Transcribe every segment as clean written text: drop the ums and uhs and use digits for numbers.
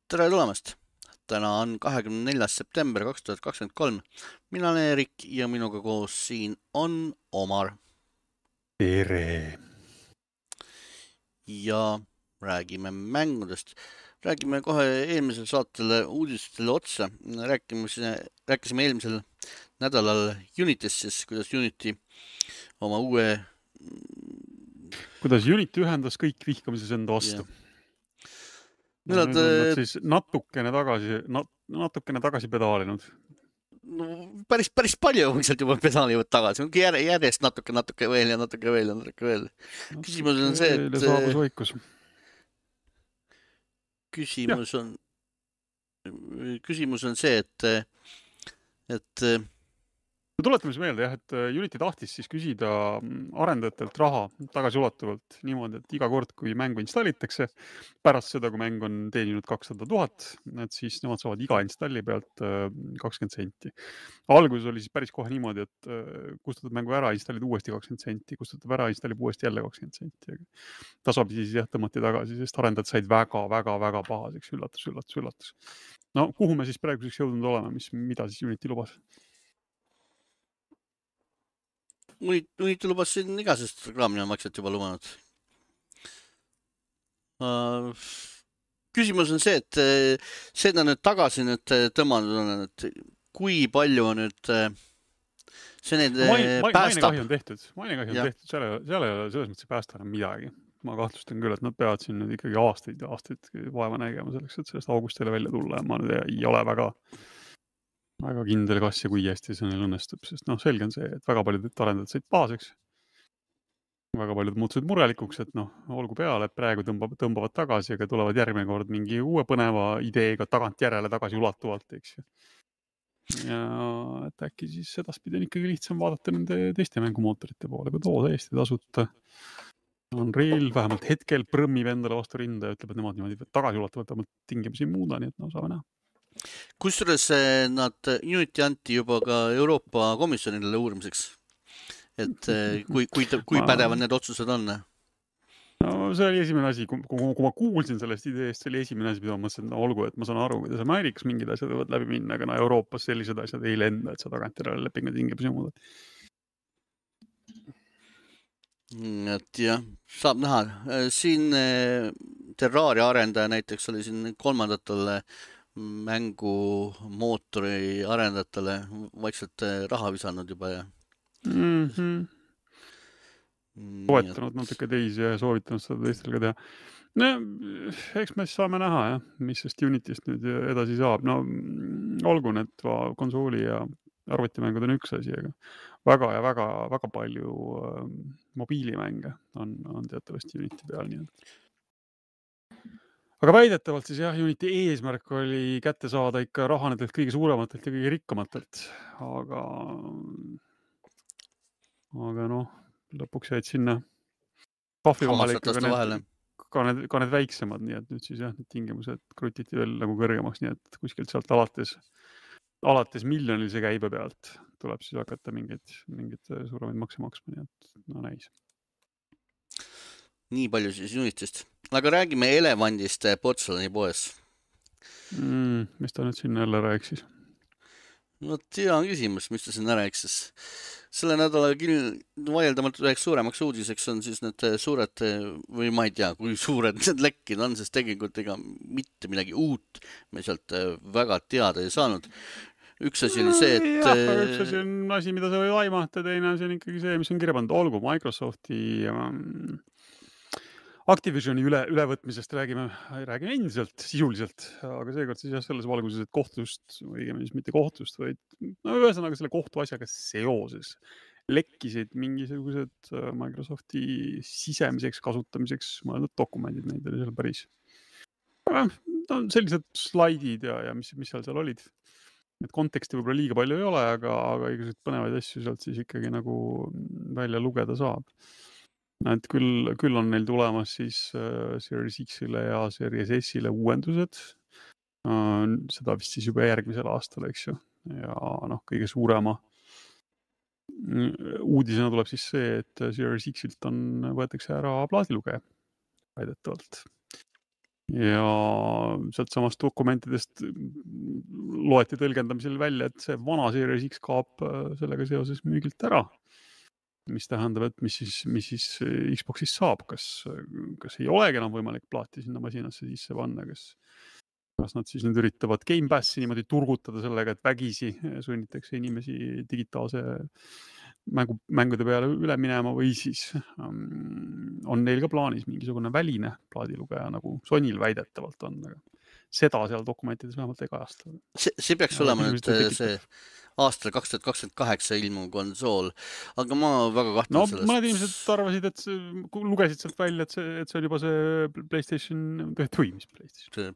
Tere tulemast! Täna on 24. september 2023. Mina olen Erik ja minuga koos siin on Omar. Tere! Ja räägime mängudest. Räägime kohe eelmisel saatele uudistele otsa. Rääkisime eelmisel nädalal Unitist, siis kuidas Unity oma uue... Kuidas Unity ühendas kõik vihkamises enda vastu. Yeah. Nüüd on nad siis natukene tagasi pedaalinud. No, päris palju sealt juba pedaalivad tagasi. Järjest natuke veel ja natuke veel. Küsimus on see, et... saabus vaikus. Küsimus on see, et Tuletame siis meelde, et Unity tahtis siis küsida arendajatelt raha tagasiulatuvalt niimoodi, et iga kord, kui mängu installitakse, pärast seda, kui mäng on teeninud 200 000, et siis nemad saavad iga installi pealt 20 senti. Alguses oli siis päris kohe niimoodi, et kustutad mängu ära, installid uuesti 20 senti, kustutab ära, installib uuesti jälle 20 senti. Tasapisi siis tõmmati tagasi, sest arendajad said väga pahaseks, üllatus. No, kuhu me siis praeguseks jõudnud oleme, mida siis Unity lubas? Unity lubas siin igasest reklaamina maksat juba lubanud. Küsimus on see, et seda nüüd tagasi tõmmanud on, et kui palju nüüd see need päästab. Mainekahju on tehtud, seal ei ole selles mõttes päästa enam midagi. Ma kahtlustan küll, et nad peavad siin nüüd ikkagi aastaid vaeva nägema selleks, et sellest august jälle välja tulla ja ma nüüd ei ole väga kindel, kas ja kui hästi see neil õnnestub, sest selge on see, et väga paljud arendajad said pahaseks. Väga paljud muutusid murelikuks, et olgu peale, et praegu tõmbavad tagasi, aga tulevad järgmine kord mingi uue põneva ideega tagantjärele tagasi ulatuvalt, eks ju. Ja et äkki siis edaspidi on ikkagi lihtsam vaadata nende teiste mängumootorite poole, kui täiesti tasuta. Unreal vähemalt hetkel prõmmib endale vastu rinda ja ütleb, et nemad niimoodi tagasi ulatuvalt tingimusi ei muuda, nii et saame näha. Kusjuures nad Unity anti juba ka Euroopa Komisjonile uurimiseks, et kui pädevad need otsused on? No see oli esimene asi, kui ma kuulsin sellest ideest, see oli esimene asi, mida ma mõtlesin, olgu, et ma saan aru, kuidas Ameerikas mingid asjad võivad läbi minna, aga Euroopas sellised asjad ei lenda, et sa tagantjärele lepingu tingimusi muudad. Et jah, saab näha. Siin Terraria arendaja näiteks oli siin kolmandatele mängumootori arendajatele vaikselt raha visanud juba ja toetanud natuke teisi ja soovitanud seda teistel ka teha. No, eks me saame näha, mis sest Unityst nüüd edasi saab. No, olgu need konsooli ja arvutimängud on üks asi, aga väga palju mobiilimänge on teatavasti Unity peal. Nii et. Aga väidetavalt siis Unity eesmärk oli kätte saada ikka raha nendelt kõige suurematelt ja kõige rikkamatelt. Aga lõpuks jäid sinna pahvi vahele ka need väiksemad, nii et nüüd siis need tingimused krutiti veel nagu kõrgemaks, nii et kuskilt sealt alates miljonilise käibe pealt tuleb siis hakata mingid suuremaid makse maksma, nii et näis. Nii palju siis Unitist. Aga räägime elevandist Portselani poes. Mis ta nüüd sinna jälle rääksis? No hea küsimus, mis ta sinna rääksis. Selle nädala vaieldamalt üheks suuremaks uudiseks on siis need suured, või ma ei tea, kui suured need lekkid on, sest tegelikult ega mitte midagi uut me sealt väga teada ei saanud. Üks asi oli see, et... Üks asi on asi, mida sa või aimata, teine asi on ikkagi see, mis on kirjapanud. Olgu Microsofti Activisioni ülevõtmisest räägime endiselt, sisuliselt, aga seekord siis selles valguses, et kohtust, õigemini mitte kohtust, vaid ühesõnaga selle kohtu asjaga seoses lekkisid mingisugused Microsofti sisemiseks kasutamiseks mõeldud dokumendid, neid oli seal päris. Sellised slaidid ja mis seal olid. Et konteksti võib-olla liiga palju ei ole, aga igasugused põnevaid asju sealt siis ikkagi nagu välja lugeda saab. Et küll on neil tulemas siis Series X-ile ja Series S-ile uuendused. Seda vist siis juba järgmisel aastal, eks ju. Ja kõige suurema uudisena tuleb siis see, et Series X-ilt võetakse ära plaadilugeja väidetavalt. ja sealt samast dokumentidest loeti tõlgendamisel välja, et see vana Series X kaob sellega seoses müügilt ära. Mis tähendab, et mis siis Xboxis saab, kas ei olegi enam võimalik plaati sinna masinasse sisse panna, kas nad siis nüüd üritavad Game Passi niimoodi turgutada sellega, et vägisi sunnitakse inimesi digitaalse mängude peale üle minema või siis on neil ka plaanis mingisugune väline plaadilugeja, nagu Sonyl väidetavalt on, aga seda seal dokumentides vähemalt ei kajasta. See peaks olema nüüd see aastal 2028 ilmuv konsool, aga ma väga kahtlen sellest. Mõned inimesed arvasid, et lugesid sealt välja, et see on juba see PlayStation, mis PlayStation?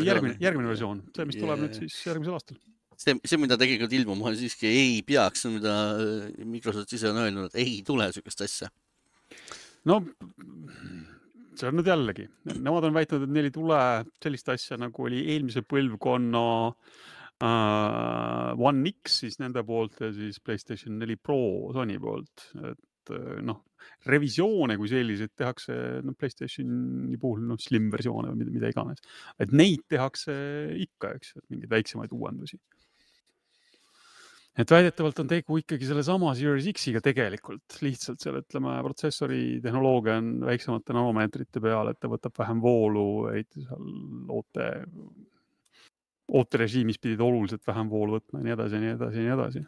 Järgmine versioon, see, mis tuleb nüüd siis järgmisel aastal. See, mida tegelikult ilmuma siiski ei peaks, mida Microsoft ise on öelnud, et ei tule sellist asja. No, see on nüüd jällegi. Nemad on väitnud, et neil ei tule sellist asja, nagu oli eelmise põlvkonna One X siis nende poolt ja siis PlayStation 4 Pro Sony poolt. Et revisioone kui selliseid tehakse PlayStationi puhul slim versioone või mida iganes. Et neid tehakse ikka, eks, mingeid väiksemaid uuendusi. Et väidetavalt on tegu ikkagi selle sama Series X-iga tegelikult. Lihtsalt seal, ütleme, protsessori tehnoloogia on väiksemate nanomeetrite peal, et ta võtab vähem voolu, seal ooterežiimis pidid oluliselt vähem voolu võtma ja nii edasi.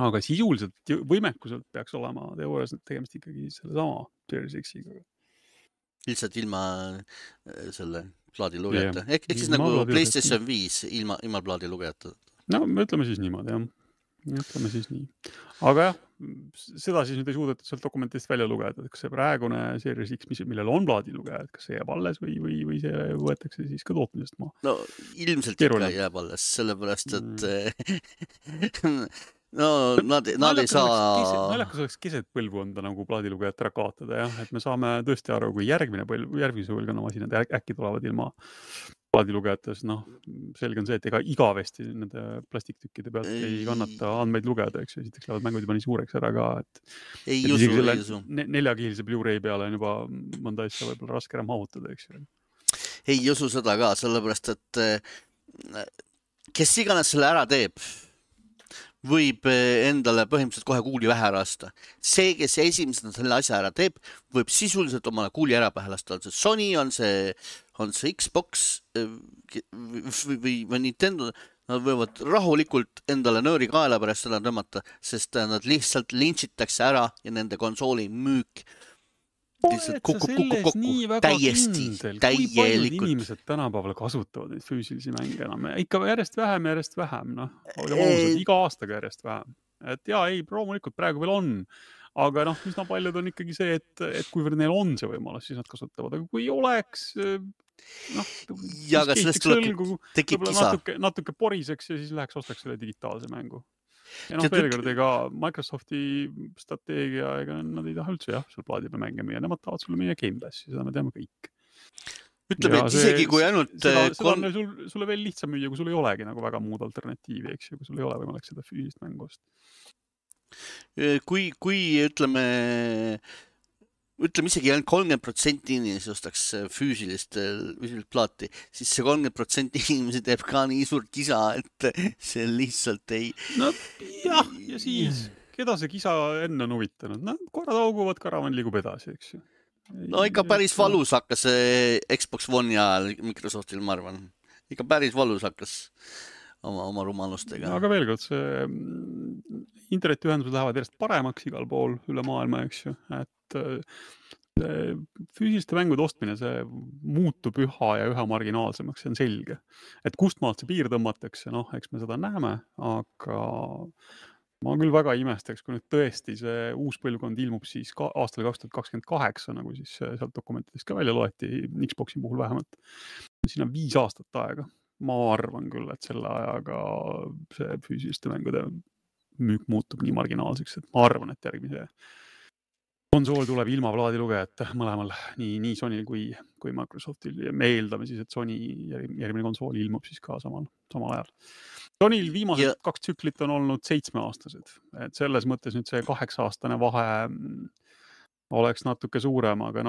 Aga sisuliselt võimekuselt peaks olema teoorias tegemist ikkagi selle sama Series X-iga. Lihtsalt ilma selle plaadilugejata. Ehk siis nagu PlayStation 5 ilma plaadilugejata. No, me ütleme siis niimoodi, jah. Ütleme siis nii. Aga jah, seda siis nüüd ei suudetud sealt dokumentidest välja lugeda, et kas see praegune Series X, millel on plaadilugeja, et kas see jääb alles või see võetakse siis ka tootmisest maha? No ilmselt ikka jääb alles, sellepärast, et nad ei saa... Naljakas oleks keset põlvkonda nagu plaadilugejat ära kaotada, jah, et me saame tõesti aru, kui järgmise põlvkonna masinad äkki tulevad ilma plaadilugejates, selge on see, et ega igavesti nende plastiktükkide pealt ei kannata andmeid lugeda, eks ju, esiteks lähevad mängud juba nii suureks ära ka, et ei usu. 4-kihilise Blu-ray peale on juba mõnda asja võib-olla raske ära mahutada, eks ju. Ei usu seda ka, sellepärast, et kes iganes selle ära teeb, võib endale põhimõtteliselt kohe kuuli vähe ära lasta. See, kes esimesena selle asja ära teeb, võib sisuliselt omale kuuli ära pähe lasta. On see Sony, on see Xbox või Nintendo, nad võivad rahulikult endale nööri kaela pärast seda tõmmata, sest nad lihtsalt lintšitakse ära ja nende konsooli müük lihtsalt kukub täiesti, täielikult. Kui paljud inimesed tänapäeval kasutavad neid füüsilisi mänge enam? Ikka järjest vähem, iga aastaga järjest vähem. Et loomulikult praegu veel on, aga üsna paljud on ikkagi see, et kuivõrd neil on see võimalus, siis nad kasutavad, aga kui oleks ja aga sellest tekib kisa. Natuke poriseks ja siis läheks ostaks selle digitaalse mängu. Ja veel kord, ega Microsofti strateegia, ega nad ei taha üldse seal plaadi peal mänge müüa, nemad tahavad sulle müüa Game Passi, seda me teame kõik. Ütleme, et isegi kui ainult... Seda on sulle veel lihtsam müüa, kui sul ei olegi nagu väga muud alternatiivi, eks ju, kui sul ei ole võimalik seda füüsilist mängust. Kui ütleme isegi ainult 30% inimesi ostaks füüsilist plaati, siis see 30% inimesi teeb ka nii suurt kisa, et see lihtsalt ei... No jah, ja siis, keda see kisa enne on huvitanud? Korrad auguvad, karavan liigub edasi, eks ju. No ikka päris valus hakkas Xbox One'i ajal Microsoftil, ma arvan. Ikka päris valus hakkas oma rumalustega. Aga veel kord, see internetiühendused lähevad järjest paremaks igal pool üle maailma, eks ju, et füüsiliste mängude ostmine, see muutub üha ja üha marginaalsemaks, see on selge. Et kust maalt see piir tõmmatakse, eks me seda näeme, aga ma küll väga imestaks, kui nüüd tõesti see uus põlvkond ilmub siis aastal 2028, nagu siis sealt dokumentidest ka välja loeti, Xboxi puhul vähemalt. Siin on 5 aastat aega. Ma arvan küll, et selle ajaga see füüsiliste mängude müük muutub nii marginaalseks, et ma arvan, et järgmise konsool tuleb ilma plaadilugejate mõlemal, nii Sonyl kui Microsoftil. Ja me eeldame siis, et Sony järgmine konsool ilmub siis ka samal ajal. Sonyl viimased 2 tsüklit on olnud 7-aastased. Et selles mõttes nüüd see 8-aastane vahe oleks natuke suurem, aga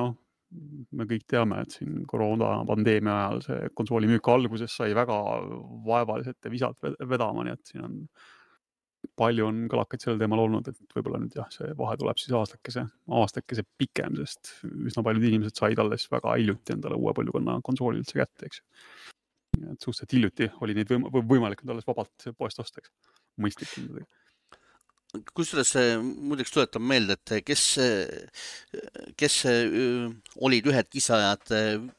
me kõik teame, et siin koroona pandeemia ajal see konsooli müük alguses sai väga vaevaliselt ja visalt vedama, nii et siin on palju on kõlakaid sellel teemal olnud, et võib-olla nüüd jah, see vahe tuleb siis aastakese pikem, sest üsna paljud inimesed said alles väga hiljuti endale uue põlvkonna konsooli üldse kätte, eks. Et suhteliselt hiljuti oli neid võimalik nüüd alles vabalt poest osta, eks. Mõistlik hindadega. Kusjuures muideks tuletan meelde, et kes olid ühed kisajad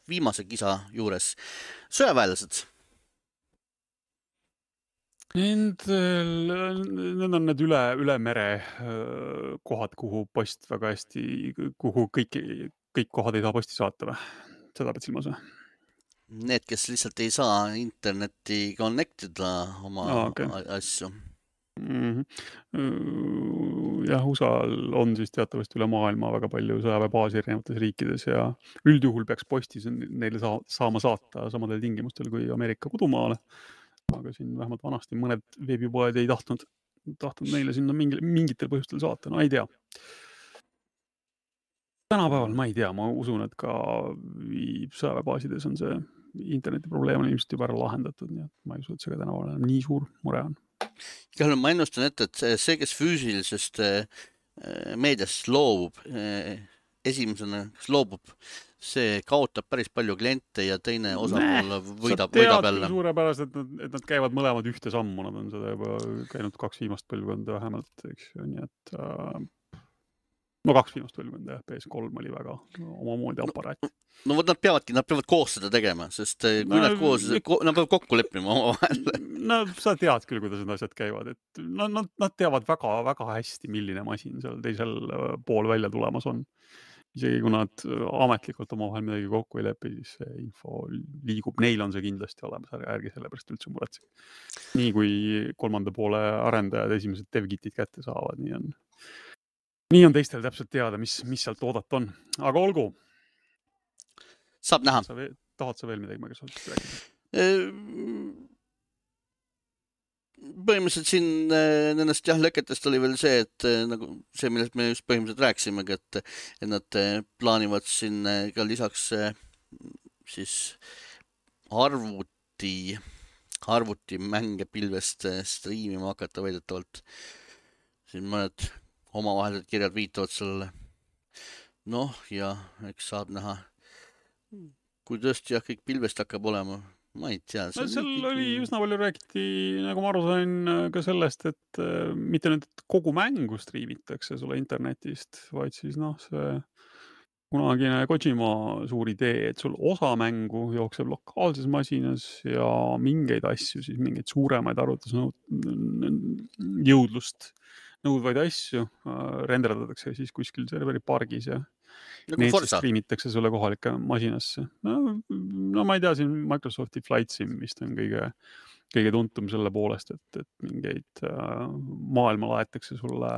viimase kisa juures, sõjaväelased. Need on need üle mere kohad, kuhu post väga hästi, kuhu kõik kohad ei saa posti saata või? Seda pead silmas või? Need, kes lihtsalt ei saa internetti connectida oma asju. Jah, USA-l on siis teatavasti üle maailma väga palju sõjaväebaasi erinevates riikides ja üldjuhul peaks postis neile saama saata samadel tingimustel kui Ameerika kodumaale. Aga siin vähemalt vanasti mõned veebipoed ei tahtnud neile sinna mingitel põhjustel saata, no ei tea. Tänapäeval ma ei tea, ma usun, et ka sõjaväebaasides on see interneti probleem on ilmselt juba ära lahendatud, nii et ma ei usu, et see ka tänapäeval nii suur mure on. Igal ma ennustan ette, et see, kes füüsilisest meediast loobub, esimesena, kes loobub, see kaotab päris palju kliente ja teine osapool võidab jälle. Suurepärast, et nad käivad mõlemad ühte sammu, nad on seda juba käinud 2 viimast põlvkonda vähemalt, eks ju, nii et 2 viimast põlvkonda, jah, PS3 oli väga omamoodi aparaat. No nad peavad koos seda tegema, sest kui nad peavad kokku leppima omavahel. No sa tead küll, kuidas need asjad käivad, et nad teavad väga hästi, milline masin seal teisel pool välja tulemas on. Isegi kui nad ametlikult omavahel midagi kokku ei lepi, siis see info liigub, neil on see kindlasti olemas, ärge sellepärast üldse muretsegi. Nii kui 3. poole arendajad esimesed devkitid kätte saavad, nii on teistel täpselt teada, mis sealt oodata on. Aga olgu. Saab näha. Tahad sa veel midagi Microsoftist rääkida? Põhimõtteliselt siin nendest leketest oli veel see, et nagu see, millest me just põhimõtteliselt rääkisimegi, et nad plaanivad siin ka lisaks siis arvutimänge pilvest striimima hakata väidetavalt. Siin mõned omavahelised kirjad viitavad sellele. Noh, ja eks saab näha, kui tõesti jah, kõik pilvest hakkab olema. Ma ei tea. Seal oli üsna palju räägiti, nagu ma aru sain ka sellest, et mitte nüüd kogu mängu striimitakse sulle internetist, vaid siis see kunagine Kojima suur idee, et sul osa mängu jookseb lokaalses masinas ja mingeid asju, siis mingeid suuremaid arvutusjõudlust nõudvaid asju renderdatakse siis kuskil serveri pargis ja need striimitakse sulle kohalike masinasse. No ma ei tea, siin Microsofti Flight Sim vist on kõige tuntum selle poolest, et mingeid maailma laetakse sulle,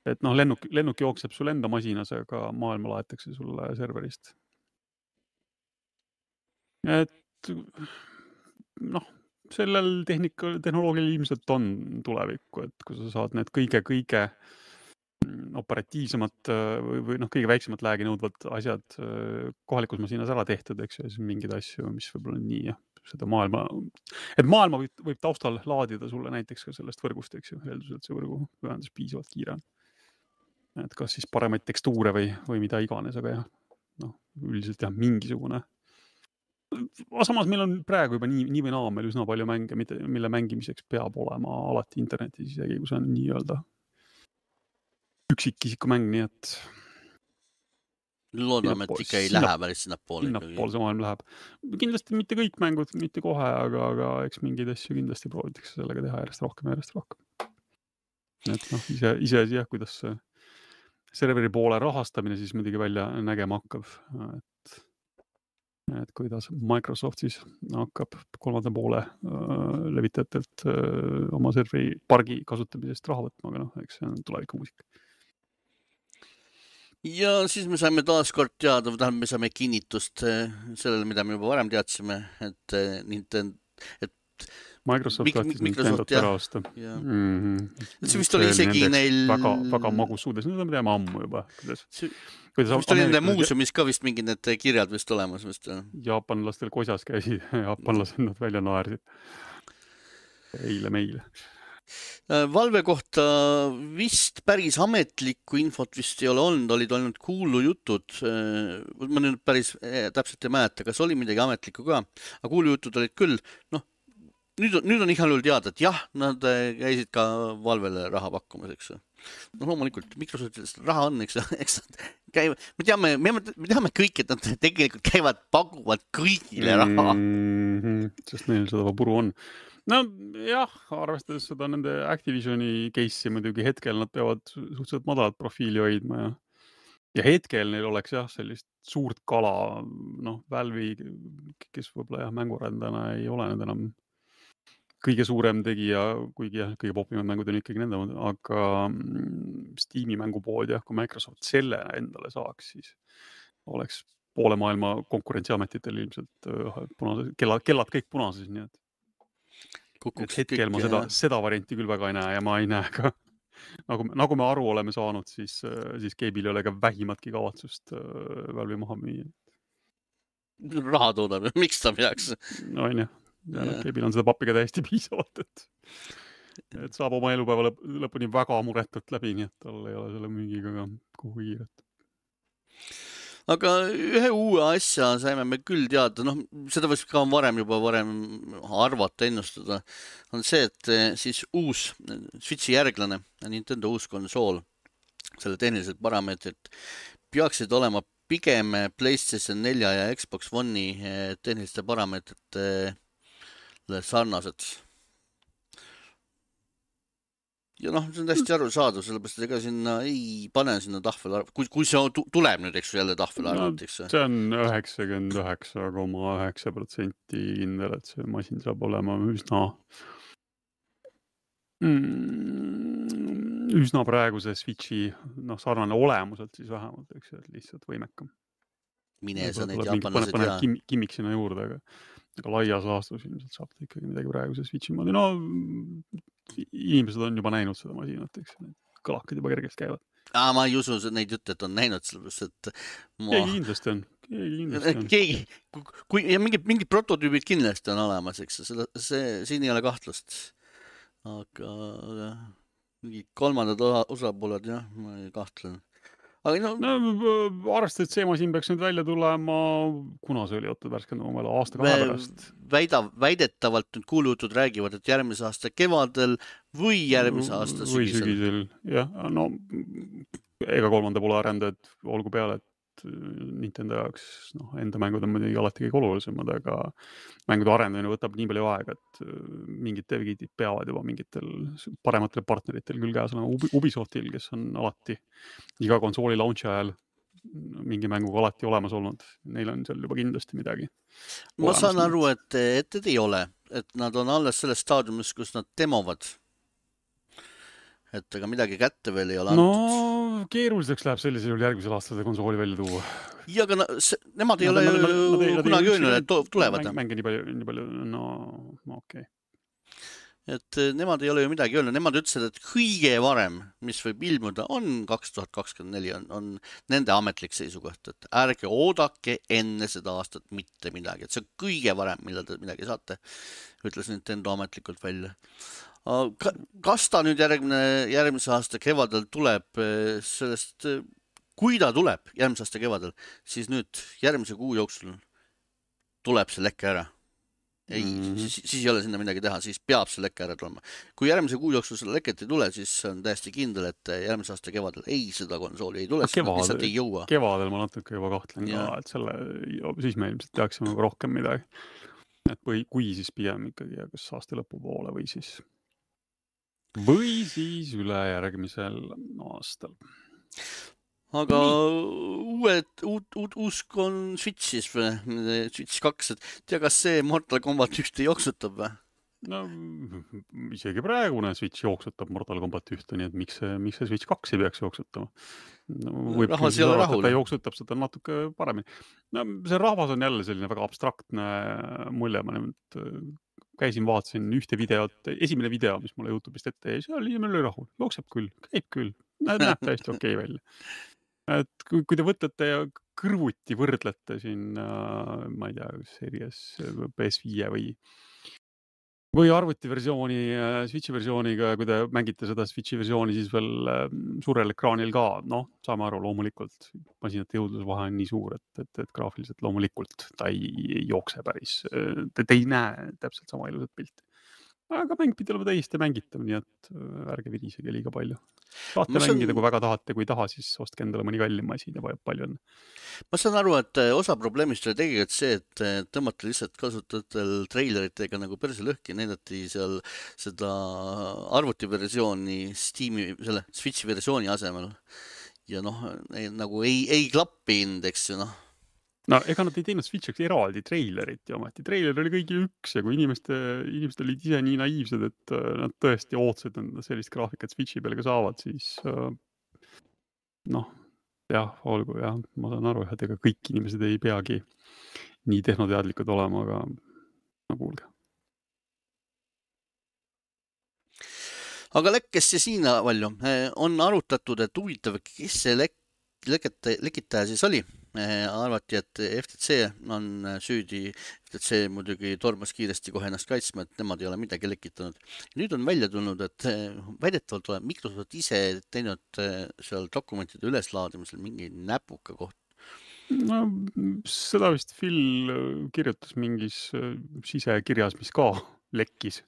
et lennuk jookseb sul enda masinas, aga maailma laetakse sulle serverist. Et sellel tehnoloogial ilmselt on tulevikku, et kui sa saad need kõige operatiivsemad või kõige väiksemat läägi nõudvad asjad kohalikus masinas ära tehtud, eks ju, siis mingeid asju, mis võib-olla nii, seda maailma võib taustal laadida sulle näiteks ka sellest võrgust, eks ju, eelduselt see võrgu ühendus piisavalt kiire. Et kas siis paremaid tekstuure või mida iganes, aga üldiselt mingisugune. Samas meil on praegu juba nii või naa meil üsna palju mänge, mille mängimiseks peab olema alati internetis, isegi kui see on nii-öelda üksikisiku mäng, nii et loodame, et ikka ei lähe päris sinnapoole. Sinnapoole see maailm läheb. Kindlasti mitte kõik mängud, mitte kohe, aga eks mingeid asju kindlasti proovitakse sellega teha järjest rohkem. Et ise jah, kuidas serveri poole rahastamine siis muidugi välja nägema hakkab. Et kuidas Microsoft siis hakkab 3. poole levitajatelt oma serveri pargi kasutamisest raha võtma, aga eks see on tulevikumuusika. Ja siis me saime taas kord teada, me saime kinnitust sellele, mida me juba varem teadsime, et Microsoft tahtis Nintendot ära osta. See vist oli isegi neil... Väga magus suudes, seda me teame ammu juba. Vist oli nende muuseumis ka vist mingid need kirjad vist olemas. Jaapanlastel kosjas käisid, jaapanlased nad välja naersid. Eile meile. Valve kohta vist päris ametlikku infot vist ei ole olnud, olid olnud kuulujutud. Ma nüüd päris täpselt ei mäleta, kas oli midagi ametlikku ka, aga kuulujutud olid küll. Nüüd on igal juhul teada, et jah, nad käisid ka Valvele raha pakkumas, eks. Loomulikult, Microsoftist raha on, eks käivad. Me teame kõik, et nad tegelikult käivad, pakuvad kõigile raha. Sest neil seda puru on. No jah, arvestades seda nende Activisioni case'i muidugi hetkel nad peavad suhteliselt madalat profiili hoidma ja hetkel neil oleks jah sellist suurt kala, Valve'i, kes võib-olla jah mängurendana ei ole nüüd enam kõige suurem tegija, kuigi jah, kõige popimad mängud on ikkagi nende, aga Steam'i mängupood jah, kui Microsoft selle endale saaks, siis oleks poole maailma konkurentsiametitel ilmselt kellad kõik punases, nii et hetkel ma seda varianti küll väga ei näe ja ma ei näe ka, nagu me aru oleme saanud, siis Gabe'il ei ole ka vähimatki kavatsust Valve'i maha müüa. Raha toodab ja miks ta peaks? No on jah, Gabe'il on seda pappiga täiesti piisavalt, et saab oma elupäeva lõpuni väga muretult läbi, nii et tal ei ole selle müügiga ka kuhu kiiret. Aga ühe uue asja saime me küll teada, seda võiks ka varem arvata, ennustada, on see, et siis uus Switchi järglane, Nintendo uus konsool, selle tehnilised parameetrid peaksid olema pigem PlayStation 4 ja Xbox One'i tehniliste parameetrite sarnased. Ja see on hästi arusaadav, sellepärast, et ega sinna ei pane sinna tahvel, kui see tuleb nüüd, eks jälle tahvel arvalt, eks. See on 99,9% kindel, et see masin saab olema üsna praeguse Switchi sarnane olemuselt siis vähemalt, eks, et lihtsalt võimekam. Mine sa neid jaapanlased ja... Kimmik sinna juurde, aga laias laastus ilmselt saab ta ikkagi midagi praeguse Switchi moodi. Inimesed on juba näinud seda masinat, eks. Kõlakad juba kergelt käivad. Ma ei usu neid jutte, et on näinud, sellepärast, et... Keegi kindlasti on. Mingid prototüübid kindlasti on olemas, eks. Siin ei ole kahtlust. Aga mingid kolmandad osapooled, jah, ma ei kahtlen. Arvestades, et see masin peaks nüüd välja tulema, kuna see oli värskend oma aasta-kahe pärast? Väidetavalt nüüd kuulujutud räägivad, et järgmise aasta kevadel või järgmise aasta sügisel. Jah, ega kolmanda poole arendajad olgu peale, et Nintendo jaoks enda mängud on muidugi alati kõige olulisemad, aga mängude arendamine võtab nii palju aega, et mingid devgidid peavad juba mingitel parematel partneritel küll käes olema. Ubisoftil, kes on alati iga konsooli launchi ajal mingi mänguga alati olemas olnud. Neil on seal juba kindlasti midagi. Ma saan aru, et ei ole, et nad on alles selles staadiumis, kus nad demovad. Et aga midagi kätte veel ei ole antud. Keeruliseks läheb sellisel juhul järgmisel aastal seda konsooli välja tuua. Ja, aga nemad ei ole kunagi öelnud, et tulevad. Mänge nii palju, okei. Et nemad ei ole ju midagi öelnud. Nemad ütlesid, et kõige varem, mis võib ilmuda, on 2024, on nende ametlik seisukoht, et ärge oodake enne seda aastat mitte midagi. Et see on kõige varem, millal te midagi saate, ütles Nintendo ametlikult välja. Kas ta nüüd järgmise aasta kevadel tuleb sellest, kui ta tuleb järgmise aasta kevadel, siis nüüd järgmise kuu jooksul tuleb see lekke ära. Siis ei ole sinna midagi teha, siis peab see lekke ära tulema. Kui järgmise kuu jooksul selle leket ei tule, siis on täiesti kindel, et järgmise aasta kevadel seda konsooli ei tule, lihtsalt ei jõua. Kevadel ma natuke juba kahtlen ka, et siis me ilmselt teaksime rohkem midagi. Et kui siis pigem ikkagi kas aasta lõpu poole või siis üle järgmisel aastal. Aga uus on Switchis või Switch 2, et tea, kas see Mortal Kombat 1 jooksutab või? Isegi praegune Switch jooksutab Mortal Kombat 1, nii et miks see Switch 2 ei peaks jooksutama? Rahvas ei ole rahul. Ta jooksutab seda natuke paremini. See rahvas on jälle selline väga abstraktne mulje, ma nüüd käisin, vaatasin ühte videot, esimene video, mis mulle YouTube'ist ette jäi, seal inimene oli rahul, jookseb küll, käib küll, näeb täiesti okei välja. Et kui te võtate ja kõrvuti võrdlete siin, ma ei tea, Series PS5 või arvutiversiooni, Switchi versiooniga, kui te mängite seda Switchi versiooni, siis veel suurel ekraanil ka, noh, saame aru, loomulikult masinate jõudlusvahe on nii suur, et graafiliselt loomulikult ta ei jookse päris, te ei näe täpselt sama ilusat pilti. Aga mäng pidi olema täiesti mängitav, nii et ärge virisege liiga palju. Saate mängida, kui väga tahate, kui taha, siis ostke endale mõni kallim masin ja palju on. Ma saan aru, et osa probleemist oli tegelikult see, et tõmmati lihtsalt kasutajatel treileritega nagu perse lõhki, näidati seal seda arvutiversiooni Steam'i, selle Switchi versiooni asemel. Ja noh, nagu ei klappinud, eks ju, noh. No ega nad ei teinud Switchiks eraldi treilerit ja ometi. Treiler oli kõigil üks ja kui inimesed olid ise nii naiivsed, et nad tõesti ootsid sellist graafikat Switchi peale ka saavad, siis noh, jah, olgu jah, ma saan aru, et ega kõik inimesed ei peagi nii tehnoteadlikud olema, aga no kuulge. Aga lekkes see siin palju. On arutatud, et huvitav, kes see lekitaja siis oli. Arvati, et FTC on süüdi. FTC muidugi tormas kiiresti kohe ennast kaitsma, et nemad ei ole midagi lekitanud. Nüüd on välja tulnud, et väidetavalt tuleb Microsoft ise teinud seal dokumentide üleslaadimisel mingi näpuka koht. No, seda vist Phil kirjutas mingis sisekirjas, mis ka lekkis.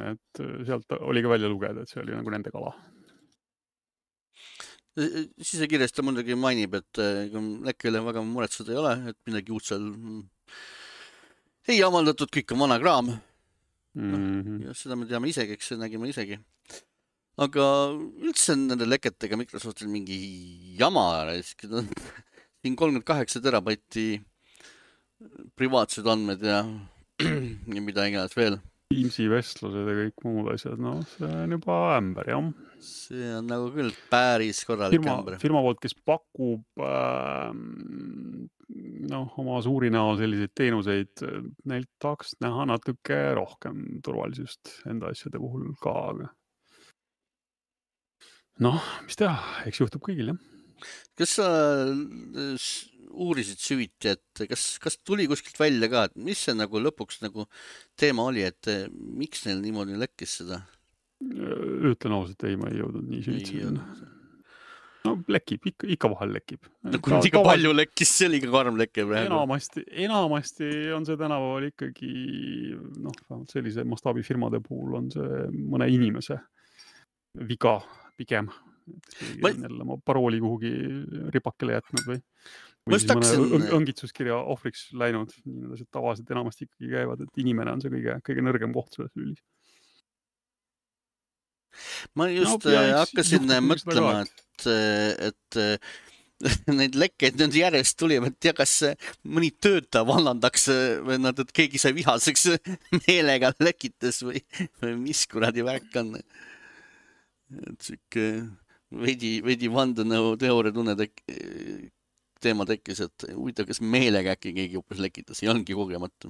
Et sealt oli ka välja lugeda, et see oli nagu nende kala. Sisekirjas ta muidugi mainib, et lekki üle väga muretseda ei ole, et midagi uut seal ei avaldatud, kõik on vana kraam. Ja seda me teame isegi, eks nägime isegi. Aga üldse nende leketega Microsoftil mingi jama. Siin 38 terabaiti privaatsed andmed ja mida iganes veel. Teamsi vestlused ja kõik muud asjad, no see on juba ämber, jah. See on nagu küll päris korralik ämber. Firma poolt, kes pakub oma suuri näol selliseid teenuseid, neilt tahaks näha natuke rohkem turvalisust enda asjade puhul ka, aga noh, mis teha, eks juhtub kõigil, jah. Kas sa uurisid süviti, et kas tuli kuskilt välja ka, et mis see nagu lõpuks nagu teema oli, et miks neil niimoodi lekkis seda? Ütlen ausalt, ei, ma ei jõudnud nii süvitsi. No lekib, ikka vahel lekib. No kui ikka palju lekkis, see oli ka karm lekke praegu. Enamasti on see tänapäeval ikkagi, sellise mastaabifirmade puhul on see mõne inimese viga pigem. On jälle oma parooli kuhugi ripakele jätnud või siis mõne õngitsuskirja ohvriks läinud. Nii need tavaliselt enamasti ikkagi käivad, et inimene on see kõige nõrgem koht selles lülis. Ma just hakkasin mõtlema, et neid lekkeid nüüd järjest tuli, et kas mõni töötaja vallandaks või et keegi sai vihaseks meelega lekites või mis kuradi värk on. Et siuke veidi vandenõu teooria tunne teema tekkis, et huvitav, kas meelega äkki keegi hoopis lekitas, ei ongi kogemata.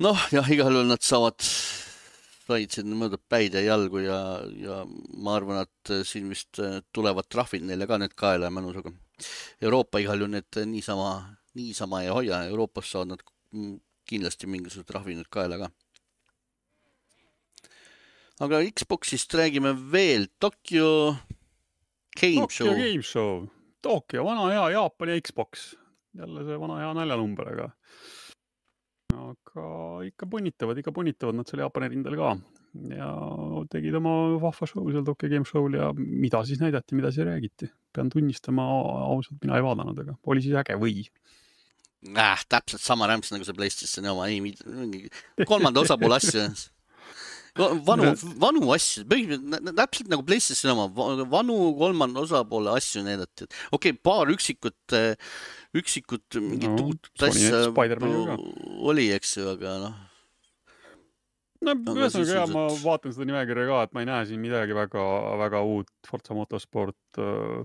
Noh, jah, igal juhul nad said siin mõõdab päid ja jalgu ja ma arvan, et siin vist tulevad trahvid neile ka need kaela ja mõnusaga. Euroopa igal juhul need niisama ei hoia, Euroopas saavad nad kindlasti mingisugused trahvid nüüd kaela ka. Aga Xboxist räägime veel. Tokyo Game Show. Tokyo, vana hea Jaapani Xbox. Jälle see vana hea naljanumber, aga ikka punnitavad nad selle Jaapani rindel ka. Ja tegid oma vahva show seal Tokyo Game Show'l ja mida siis näidati, mida siis räägiti. Pean tunnistama ausalt, mina ei vaadanud, aga oli siis äge või? Täpselt sama rämps nagu see PlayStationi oma. Kolmanda osapoole asju. Vanu asju, täpselt nagu PlayStation oma, vanu kolmanda osapoole asju näidati. Okei, paar üksikut mingit uut asja oli, eks ju, aga noh. No ühesõnaga jah, ma vaatan seda nimekirja ka, et ma ei näe siin midagi väga uut. Forza Motorsport,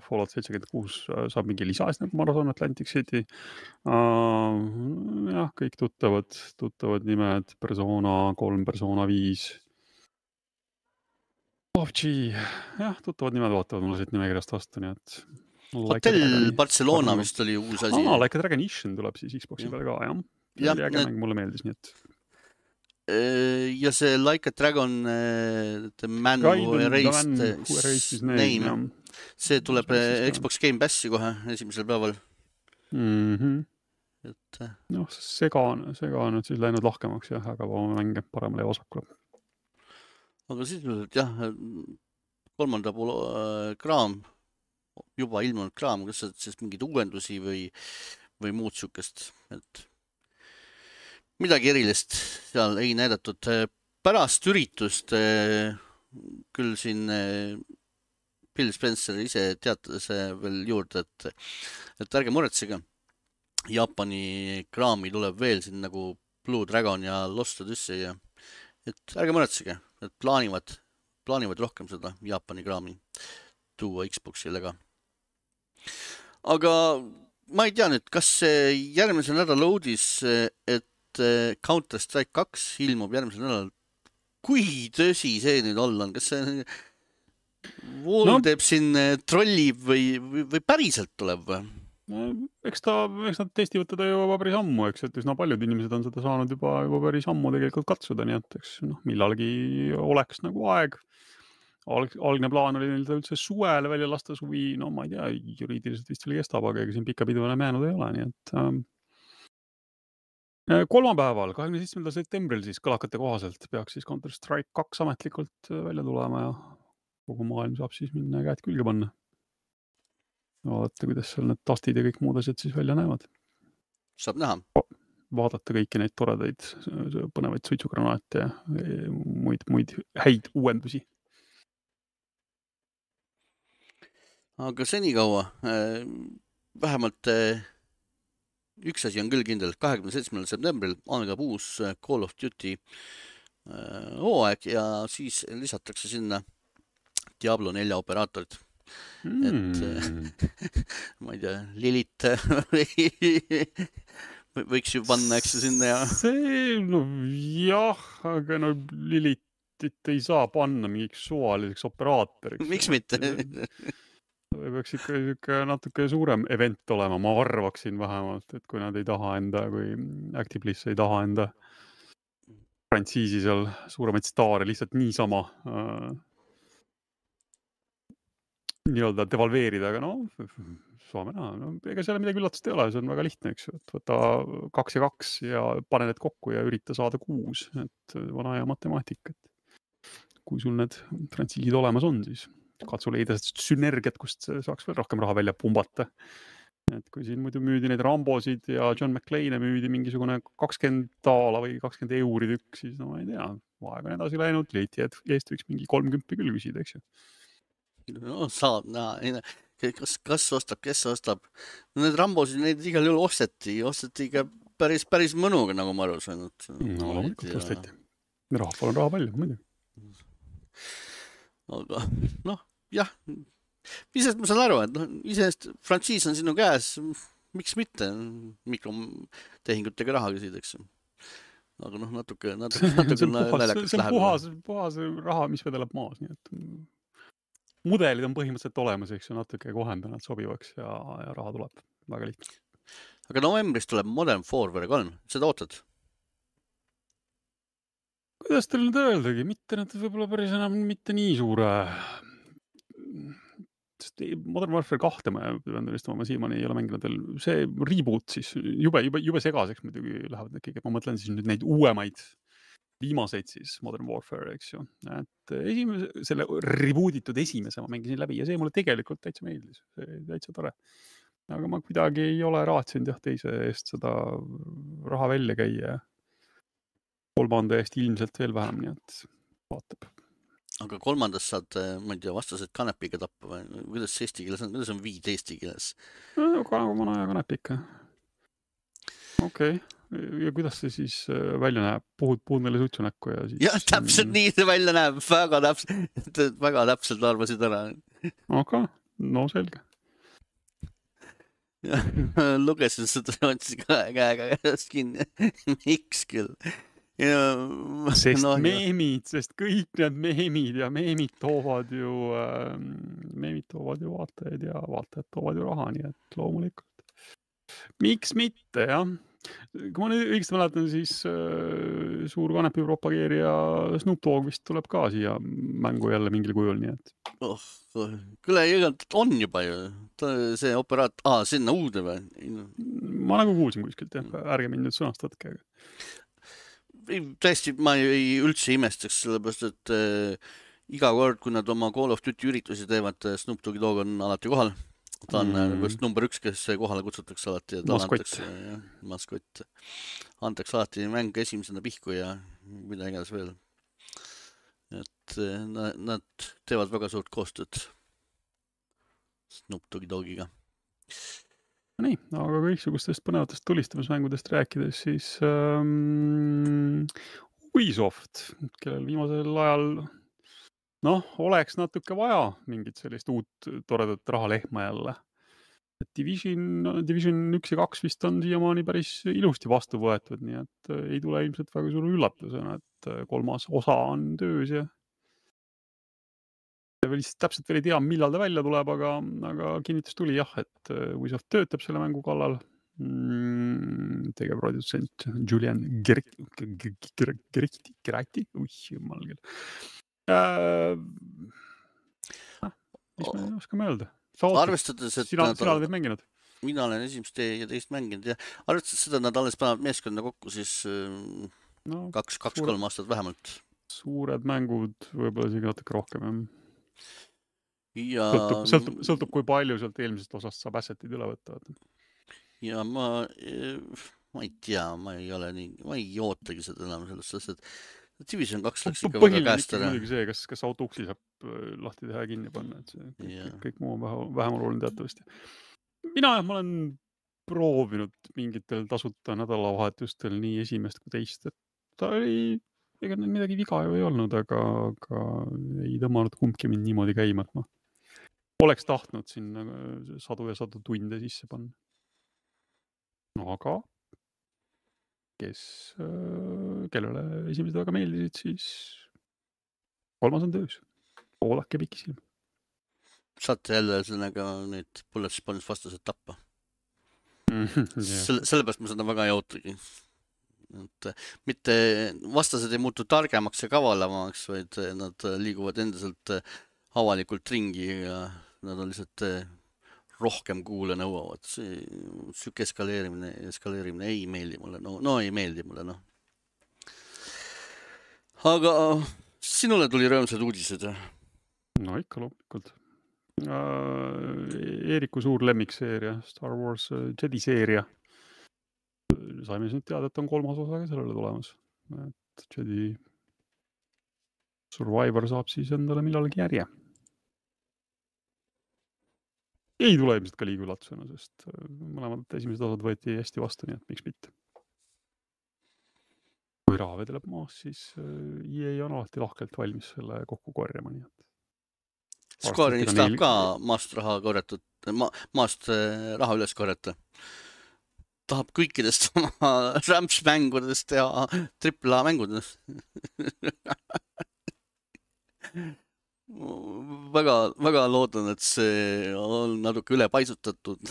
Fallout 76 saab mingi lisas nagu Marathon Atlantic City. Jah, kõik tuttavad nimed, Persona 3, Persona 5. PUBG, jah, tuttavad nimed vaatavad mulle siit nimekirjast vastu, nii et... Hotel Barcelona vist oli uus asi. Like a Dragon tuleb siis Xboxi peale ka, jah. See oli äge mäng, mulle meeldis, nii et... Ja see Like a Dragon The Man Who Erased His Name, see tuleb Xbox Game Passi kohe esimesel päeval. Noh, sega on nüüd siis läinud lahkemaks, jah, aga mänge paremale ja osakule. Aga siis jah, kolmanda pool kraam, juba ilmunud kraam, kas see mingid uuendusi või muud sükest, et midagi erilist seal ei näidatud. Pärast üritust küll siin Phil Spencer ise teatas veel juurde, et ärge muretsege. Jaapani kraami tuleb veel siin nagu Blue Dragon ja Lost Odyssey ja et ärge muretsege, et plaanivad rohkem seda Jaapani kraami tuua Xboxile ka. Aga ma ei tea nüüd, kas järgmisel nädal uudis, et Counter-Strike 2 ilmub järgmisel nädalal. Kui tõsi see nüüd olla on? Kas see Valve teeb siin trollib või päriselt tuleb või? Eks nad testivad teda juba päris ammu, eks, et üsna paljud inimesed on seda saanud juba päris ammu tegelikult katsuda, nii et eks millalgi oleks nagu aeg. Algne plaan oli neil üldse suvele välja lasta suvi, no ma ei tea, juriidiliselt vist veel kestab, aga ega siin pikka pidu enam jäänud ei ole, nii et... Kolmapäeval, 27. septembril siis kõlakate kohaselt peaks siis Counter-Strike 2 ametlikult välja tulema ja kogu maailm saab siis minna käed külge panna. Vaadata, kuidas seal need tastid ja kõik muud asjad siis välja näevad. Saab näha. Vaadata kõiki neid toredaid põnevaid suitsugranaate ja muid häid uuendusi. Aga senikaua vähemalt üks asi on küll kindel, 27. septembril algab uus Call of Duty hooaeg ja siis lisatakse sinna Diablo 4 operaatorid. Et ma ei tea, Lilit võiks ju panna, eks sinna ja... See, no jah, aga no Lilitit ei saa panna mingiks suvaliseks operaatoriks. Miks mitte? Peaks ikka natuke suurem event olema, ma arvaksin vähemalt, et kui nad ei taha enda, kui Actibliss ei taha enda frantsiisi seal suuremaid staare lihtsalt niisama nii-öelda devalveerida, aga no, saame näha. No, ega seal midagi üllatust ei ole, see on väga lihtne, eks, et võta 2 ja 2 ja pane need kokku ja ürita saada 6, et vana ja matemaatika. Kui sul need frantsiisid olemas on, siis katsu leida sünergiat, kust saaks veel rohkem raha välja pumbata. Et kui siin muidu müüdi neid Rambosid ja John McClane'e müüdi mingisugune 20 daala või 20 euri tükk, siis no ma ei tea, aeg on edasi läinud, leiti eest võiks mingi 30 küll küsida, eks ju. No saab näha, kas ostab, kes ostab. No need Rambosid, neid igal juhul osteti ikka päris mõnuga, nagu ma aru saanud. No, loomulikult osteti. Rahval on raha palju, muidu. Aga noh, jah, isest ma saan aru, et isest frantsiis on sinu käes, miks mitte mikrotehingutega raha küsida, eks. Aga noh, natuke naljakas läheb. See on puhas raha, mis vedeleb maas, nii et mudelid on põhimõtteliselt olemas, eks ju, natuke kohendanud sobivaks ja raha tuleb väga lihtne. Aga novembris tuleb Modern Warfare 3, seda ootad? Kuidas teil nüüd öeldagi, mitte need võib-olla päris enam mitte nii suure. Modern Warfare 2 ma pean tõestama, ma siiamaani ei ole mänginud veel. See reboot siis jube segaseks muidugi lähevad need kõige. Ma mõtlen siis nüüd neid uuemaid viimaseid siis Modern Warfare, eks ju. Et selle rebootitud esimese ma mängisin läbi ja see mulle tegelikult täitsa meeldis. See täitsa tore. Aga ma kuidagi ei ole raatsinud teise eest seda raha välja käia. Kolmanda eest ilmselt veel vähem, nii et vaatab. Aga kolmandas saad, ma ei tea, vastased kanepiga tappa või kuidas eesti keeles on? Kuidas on viid eesti keeles? No, vana ja kanepika. Okei. Ja kuidas see siis välja näeb? Puhud meile suitsu näkku ja siis... Jah, täpselt nii see välja näeb. Väga täpselt arvasid ära. Aga, no selge. Lugesin seda otsi käega käest kinni. Miks küll? Sest meemid, sest kõik need meemid ja meemid toovad ju vaatajaid ja vaatajad toovad ju raha, nii et loomulikult. Miks mitte, jah? Kui ma nüüd õigesti mäletan, siis suur kanepi propageerija Snoop Dogg vist tuleb ka siia mängu jälle mingil kujul, nii et... Küll on juba ju see operaat... sinna uude või? Ma nagu kuulsin kuskilt, jah. Ärge mind nüüd sõnastatke. Tõesti, ma ei üldse imestaks, sellepärast, et iga kord, kui nad oma Call of Duty üritusi teevad, Snoop Doggi Dogg on alati kohal. Ta on number 1, kes kohale kutsutakse alati. Maskott. Antakse alati mäng esimesena pihku ja mida iganes veel. Et nad teevad väga suurt koostööd Snoop Doggi Doggiga. Nii, aga kõiksugustest põnevatest tulistamismängudest rääkides, siis Ubisoft, kellel viimasel ajal oleks natuke vaja mingit sellist uut toredat rahalehma jälle. Division 1 ja 2 vist on siiamaani päris ilusti vastu võetud, nii et ei tule ilmselt väga suure üllatusena, et 3. osa on töös ja täpselt veel ei tea, millal ta välja tuleb, aga kinnitus tuli jah, et Ubisoft töötab selle mängu kallal. Tegevprodutsent Julian Gerati, jumal küll. Mis me oskame öelda? Arvestades, et sina oled mänginud? Mina olen esimest ja teist mänginud ja arvestades seda, et nad alles panevad meeskonna kokku, siis 2-3 aastat vähemalt. Suured mängud, võib-olla isegi natuke rohkem. Ja... Sõltub kui palju sealt eelmisest osast saab assetid üle võtta. Ja ma ei tea, ma ei ootagi seda enam sellest, et Division 2 läks ikka väga käest ära. Muidugi see, kas autouksi saab lahti teha ja kinni panna, et see kõik muu on vähem oluline teatavasti. Ma olen proovinud mingitel tasuta nädalavahetustel nii esimest kui teist, et ta oli, ega midagi viga ju ei olnud, aga ei tõmmanud kumbki mind niimoodi käima, et ma oleks tahtnud sinna sadu ja sadu tunde sisse panna. Aga kellele esimesed väga meeldisid, siis 3. on töös. Oodake pikisilm. Saate jälle sellega need Bullets vastased tappa. Sellepärast ma seda väga ei ootagi. Mitte vastased ei muutu targemaks ja kavalamaks, vaid nad liiguvad endiselt avalikult ringi ja nad on lihtsalt rohkem kuule nõuavad. Süke eskaleerimine ei meeldi mulle. Ei meeldi mulle, Aga sinule tuli rõõmsad uudised? No ikka loomulikult. Eeriku suur lemmikseeria, Star Wars Jedi seeria. Saime nüüd teada, et on 3. osa ka sellele tulemas. Et Jedi Survivor saab siis endale millalgi järje. Ei tule ilmselt ka liiga üllatusena, sest mõlemad esimesed osad võeti hästi vastu, nii et miks mitte. Kui raha vedeleb maas, siis EA on alati lahkelt valmis selle kokku korjama, nii et... Square'is tahab ka maast raha üles korjata. Tahab kõikidest oma Ramps-mängudest teha AAA mängudest. Väga loodan, et see on natuke ülepaisutatud,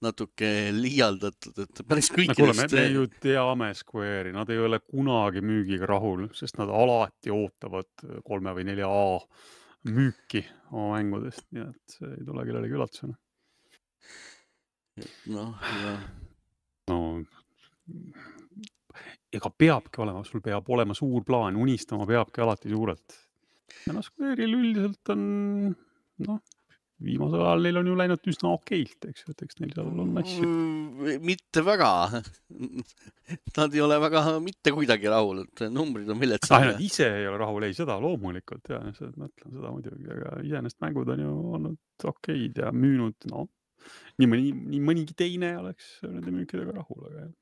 natuke liialdatud, et päris kõikidest... Me ju teame Square'i, nad ei ole kunagi müügiga rahul, sest nad alati ootavad 3 või 4A müüki oma mängudest, nii et see ei tule kellelegi üllatusena. Ega peabki olema, sul peab olema suur plaan, unistama peabki alati suurelt. Ja Square'il üldiselt on, viimasel ajal neil on ju läinud üsna okeilt, eks neil seal on asju. Mitte väga. Nad ei ole väga mitte kuidagi rahul, et numbrid on viletsad. Nad ise ei ole rahul, ei seda loomulikult, ja mõtlen seda muidugi, aga iseenesest mängud on ju olnud okeid ja müünud, nii mõnigi teine oleks nende müükidega rahul, aga jah.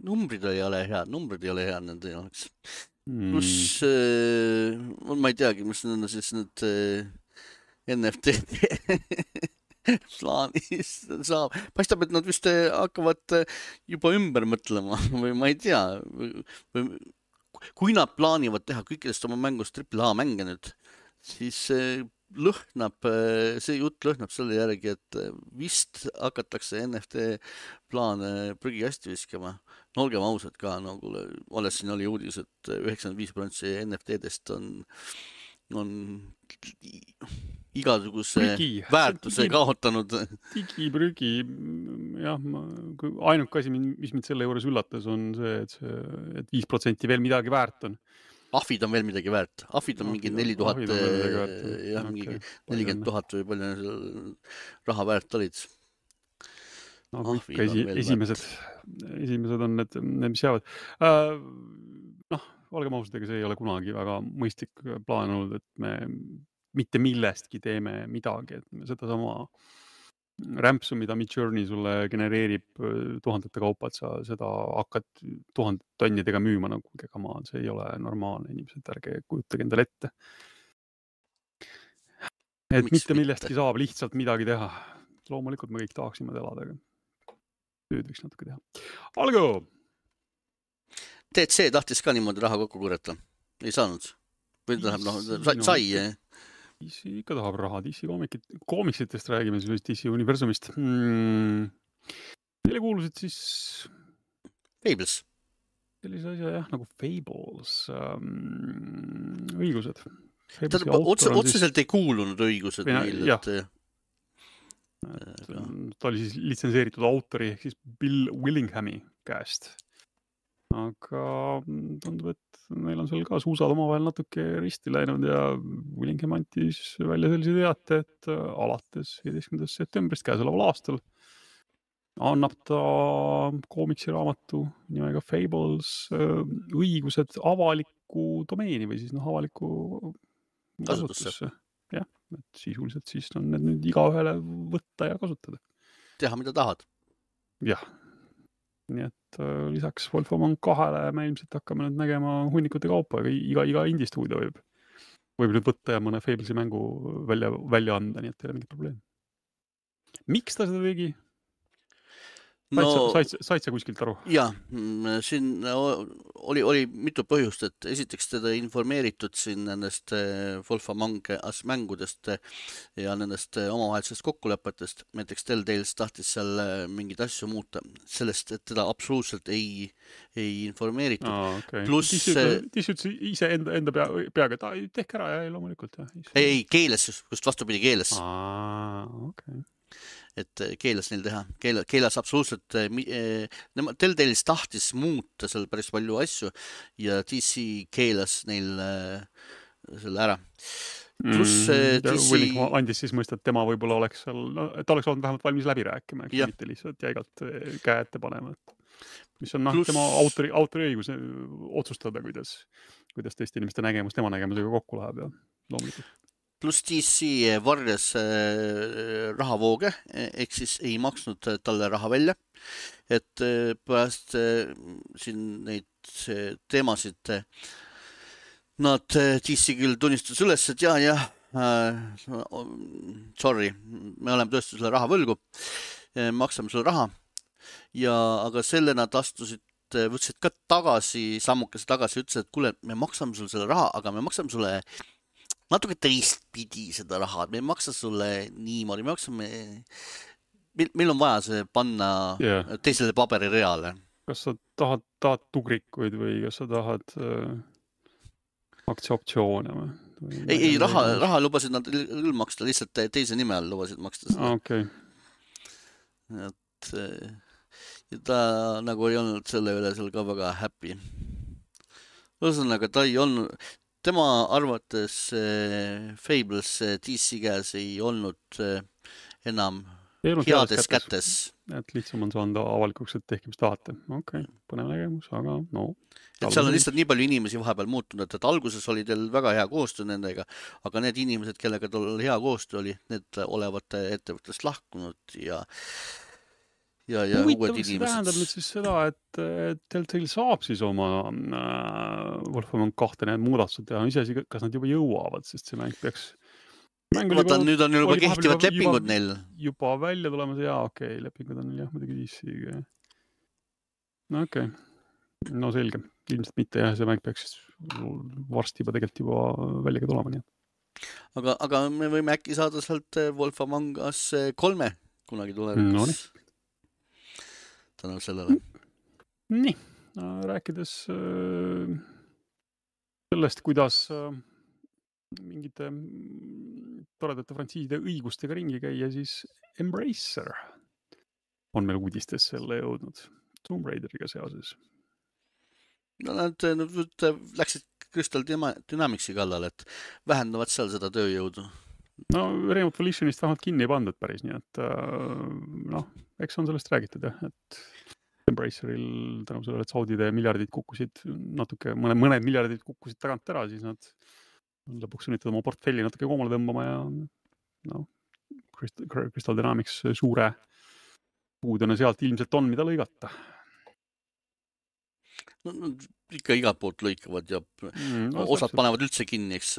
numbrid ei ole head nende jaoks. Pluss, ma ei teagi, mis need on siis need NFT plaanis saab. Paistab, et nad vist hakkavad juba ümber mõtlema või ma ei tea. Kui nad plaanivad teha kõikidest oma mängust AAA mänge nüüd, siis see jutt lõhnab selle järgi, et vist hakatakse NFT plaane prügikasti viskama. No olgem ausad ka, nagu alles siin oli uudis, et 95% NFT-dest on igasuguse väärtuse kaotanud. Digiprügi, jah, ainuke asi, mis mind selle juures üllatas, on see, et 5% veel midagi väärt on. Ahvid on veel midagi väärt. Ahvid on mingi 4000, jah, mingi 40 000 või palju raha väärt olid. No ikka esimesed on need, mis jäävad. Olgem ausad, ega see ei ole kunagi väga mõistlik plaan olnud, et me mitte millestki teeme midagi, et me seda sama rämpsu, mida Midjourney sulle genereerib tuhandete kaupa, et sa seda hakkad 1000 tonnidega müüma, nagu kama, see ei ole normaalne, inimesed, ärge kujutage endale ette. Et mitte millestki saab lihtsalt midagi teha. Loomulikult me kõik tahaksime elada, aga tööd võiks natuke teha. Algo! TC tahtis ka niimoodi raha kokku kurjata. Ei saanud. Või tähendab, sai. DC ikka tahab raha. DC koomiksitest räägime siis DC universumist. Neile kuulusid siis... Fables. Sellise asja, jah, nagu Fables. Õigused. Otseselt ei kuulunud õigused neil. Ta oli siis litsenseeritud autori ehk siis Bill Willinghami käest. Aga tundub, et meil on seal ka suusad omavahel natuke risti läinud ja Willingham antis välja sellise teate, et alates 15. septembrist käesoleval aastal annab ta koomiksiraamatu nimega Fables õigused avaliku domeeni või siis avaliku kasutusse. Jah, et sisuliselt siis on need nüüd igaühele võtta ja kasutada. Teha, mida tahad. Jah. Nii et lisaks Wolf Among 2 me ilmselt hakkame nüüd nägema hunnikute kaupa, iga indie-stuudio võib nüüd võtta ja mõne Fablesi mängu välja anda, nii et ei ole mingit probleem. Miks ta seda tegi? Said sa kuskilt aru? Jaa, siin oli mitu põhjust, et esiteks teda informeeritud siin nendest Wolf Among Us mängudest ja nendest omavahelisest kokkulepetest. Näiteks Telltales tahtis seal mingeid asju muuta, sellest, et teda absoluutselt ei informeeritud. Plus... Tis ütles ise enda peaga, et tehke ära ja loomulikult. Ei, keeles, just vastupidi keeles. Okay. Et keeles neil teha. Keeles absoluutselt Telltales tahtis muuta seal päris palju asju ja DC keeles neil selle ära. Willingham andis siis mõista, et tema võib-olla oleks seal, ta oleks olnud vähemalt valmis läbi rääkima, mitte lihtsalt jäigalt käe ette panema. Mis on tema autori õigus otsustada, kuidas teiste inimeste nägemus tema nägemusega kokku läheb ja loomulikult. Plus DC varjas rahavooge, ehk siis ei maksnud talle raha välja. Et pärast siin neid teemasid nad DC küll tunnistas üles, et sorry, me oleme tõesti sulle raha võlgu, maksame sulle raha. Aga selle nad võtsid ka sammukese tagasi, ütlesid, et kuule, me maksame sulle selle raha, aga me maksame sulle natuke teistpidi seda raha, me ei maksa sulle niimoodi, meil on vaja see panna teisele paberireale. Kas sa tahad tugrikuid või kas sa tahad aktsiaoptsioone või? Ei, raha lubasid nad küll maksta, lihtsalt teise nime all lubasid maksta seda. Okay. Et ta nagu ei olnud selle üle seal ka väga happy. Ühesõnaga, ta ei olnud... Tema arvates Fables DC käes ei olnud enam heades kätes. Et lihtsam on saanud avalikuks, et tehke mis tahate. Okei, põnev nägemus, aga no. Et seal on lihtsalt nii palju inimesi vahepeal muutunud, et alguses oli teil väga hea koostöö nendega, aga need inimesed, kellega tal hea koostöö oli, need olevat ettevõttest lahkunud ja ja huvitav, uued kas see tähendab nüüd inimesed. siis seda, et Telltale saab siis oma Wolfenstein 2 need muudatused teha, iseasi, kas nad juba jõuavad, sest see mäng peaks Vaata, nüüd on juba oli vahepeal kehtivad lepingud neil. juba välja tulemas, jaa, okei, lepingud on jah, muidugi DC-ga. No okei, no selge, ilmselt mitte jah, see mäng peaks varsti tegelikult juba välja ka tulema, nii. Aga me võime äkki saada sealt Wolfenstein 3 kunagi tulevikus. Tänu sellele. Nii, rääkides sellest, kuidas mingite toredate frantsiiside õigustega ringi käia, siis Embracer on meil uudistes selle jõudnud Tomb Raideriga seoses. No nad läksid Crystal Dynamicsi kallal, et vähendavad seal seda tööjõudu. No Remote Volitionist vähemalt kinni ei pandud päris, nii et eks on sellest räägitud jah, et Embraceril tänu sellele, et Saudide miljardid kukkusid natuke, mõned miljardid kukkusid tagant ära, siis nad lõpuks sunnitud oma portfelli natuke koomale tõmbama ja Crystal Dynamics suure puudena sealt ilmselt on, mida lõigata. No, ikka igalt poolt lõikavad ja osad panevad üldse kinni, eks.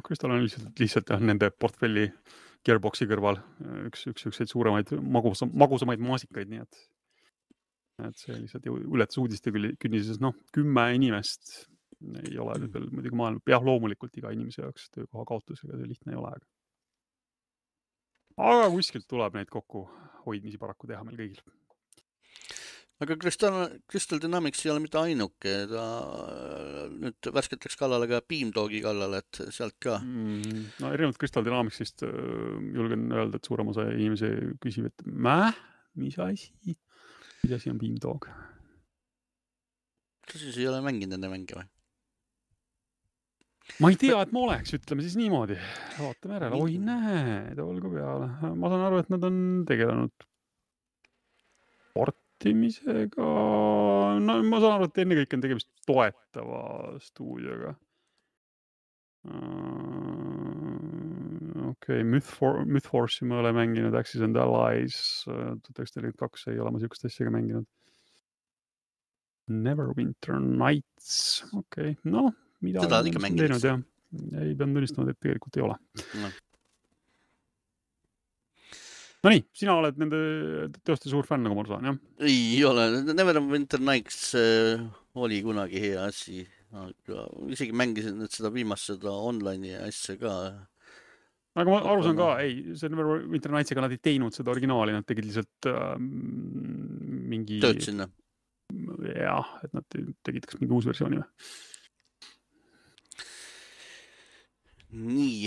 Crystal on lihtsalt nende portfelli Gearboxi kõrval üks suuremaid magusamaid maasikaid, nii et see lihtsalt ületas uudiste künnises 10 inimest ei ole nüüd veel muidugi maailma, jah, loomulikult iga inimese jaoks töökoha kaotusega see lihtne ei ole. Aga kuskilt tuleb neid kokku hoidmisi paraku teha meil kõigil. Aga Crystal Dynamics ei ole mitte ainuke, ta nüüd värskelt läks kallale ka Beamdogi kallale, et sealt ka. No erinevalt Crystal Dynamicsist julgen öelda, et suurem osa inimesi küsib, et mis asi on Beamdog? Kas siis ei ole mänginud enne mänge või? Ma ei tea, et ma oleks, ütleme siis niimoodi. Vaatame järele. Oi, näed, olgu peale. Ma saan aru, et nad on tegelenud portimisega. No, ma saan aru, et ennekõike on tegemist toetava stuudioga. Okei, Mythforce'i ma olen mänginud, Axis and Allies 1942 ei ole ma siukest asjaga mänginud. Neverwinter Nights, okei, noh. Seda on ikka mänginud. Ei pean tunnistama, et tegelikult ei ole. No nii, sina oled nende teoste suur fänn, nagu ma saan, jah? Ei ole. Neverwinter Nights oli kunagi hea asi. Aga isegi mängisin seda viimast seda online'i asja ka. Aga ma aru saan ka, see Neverwinter Nights'iga nad ei teinud seda originaali, nad tegid lihtsalt mingi... Tööd sinna. Jah, et nad tegid kas mingi uus versiooni või? Nii,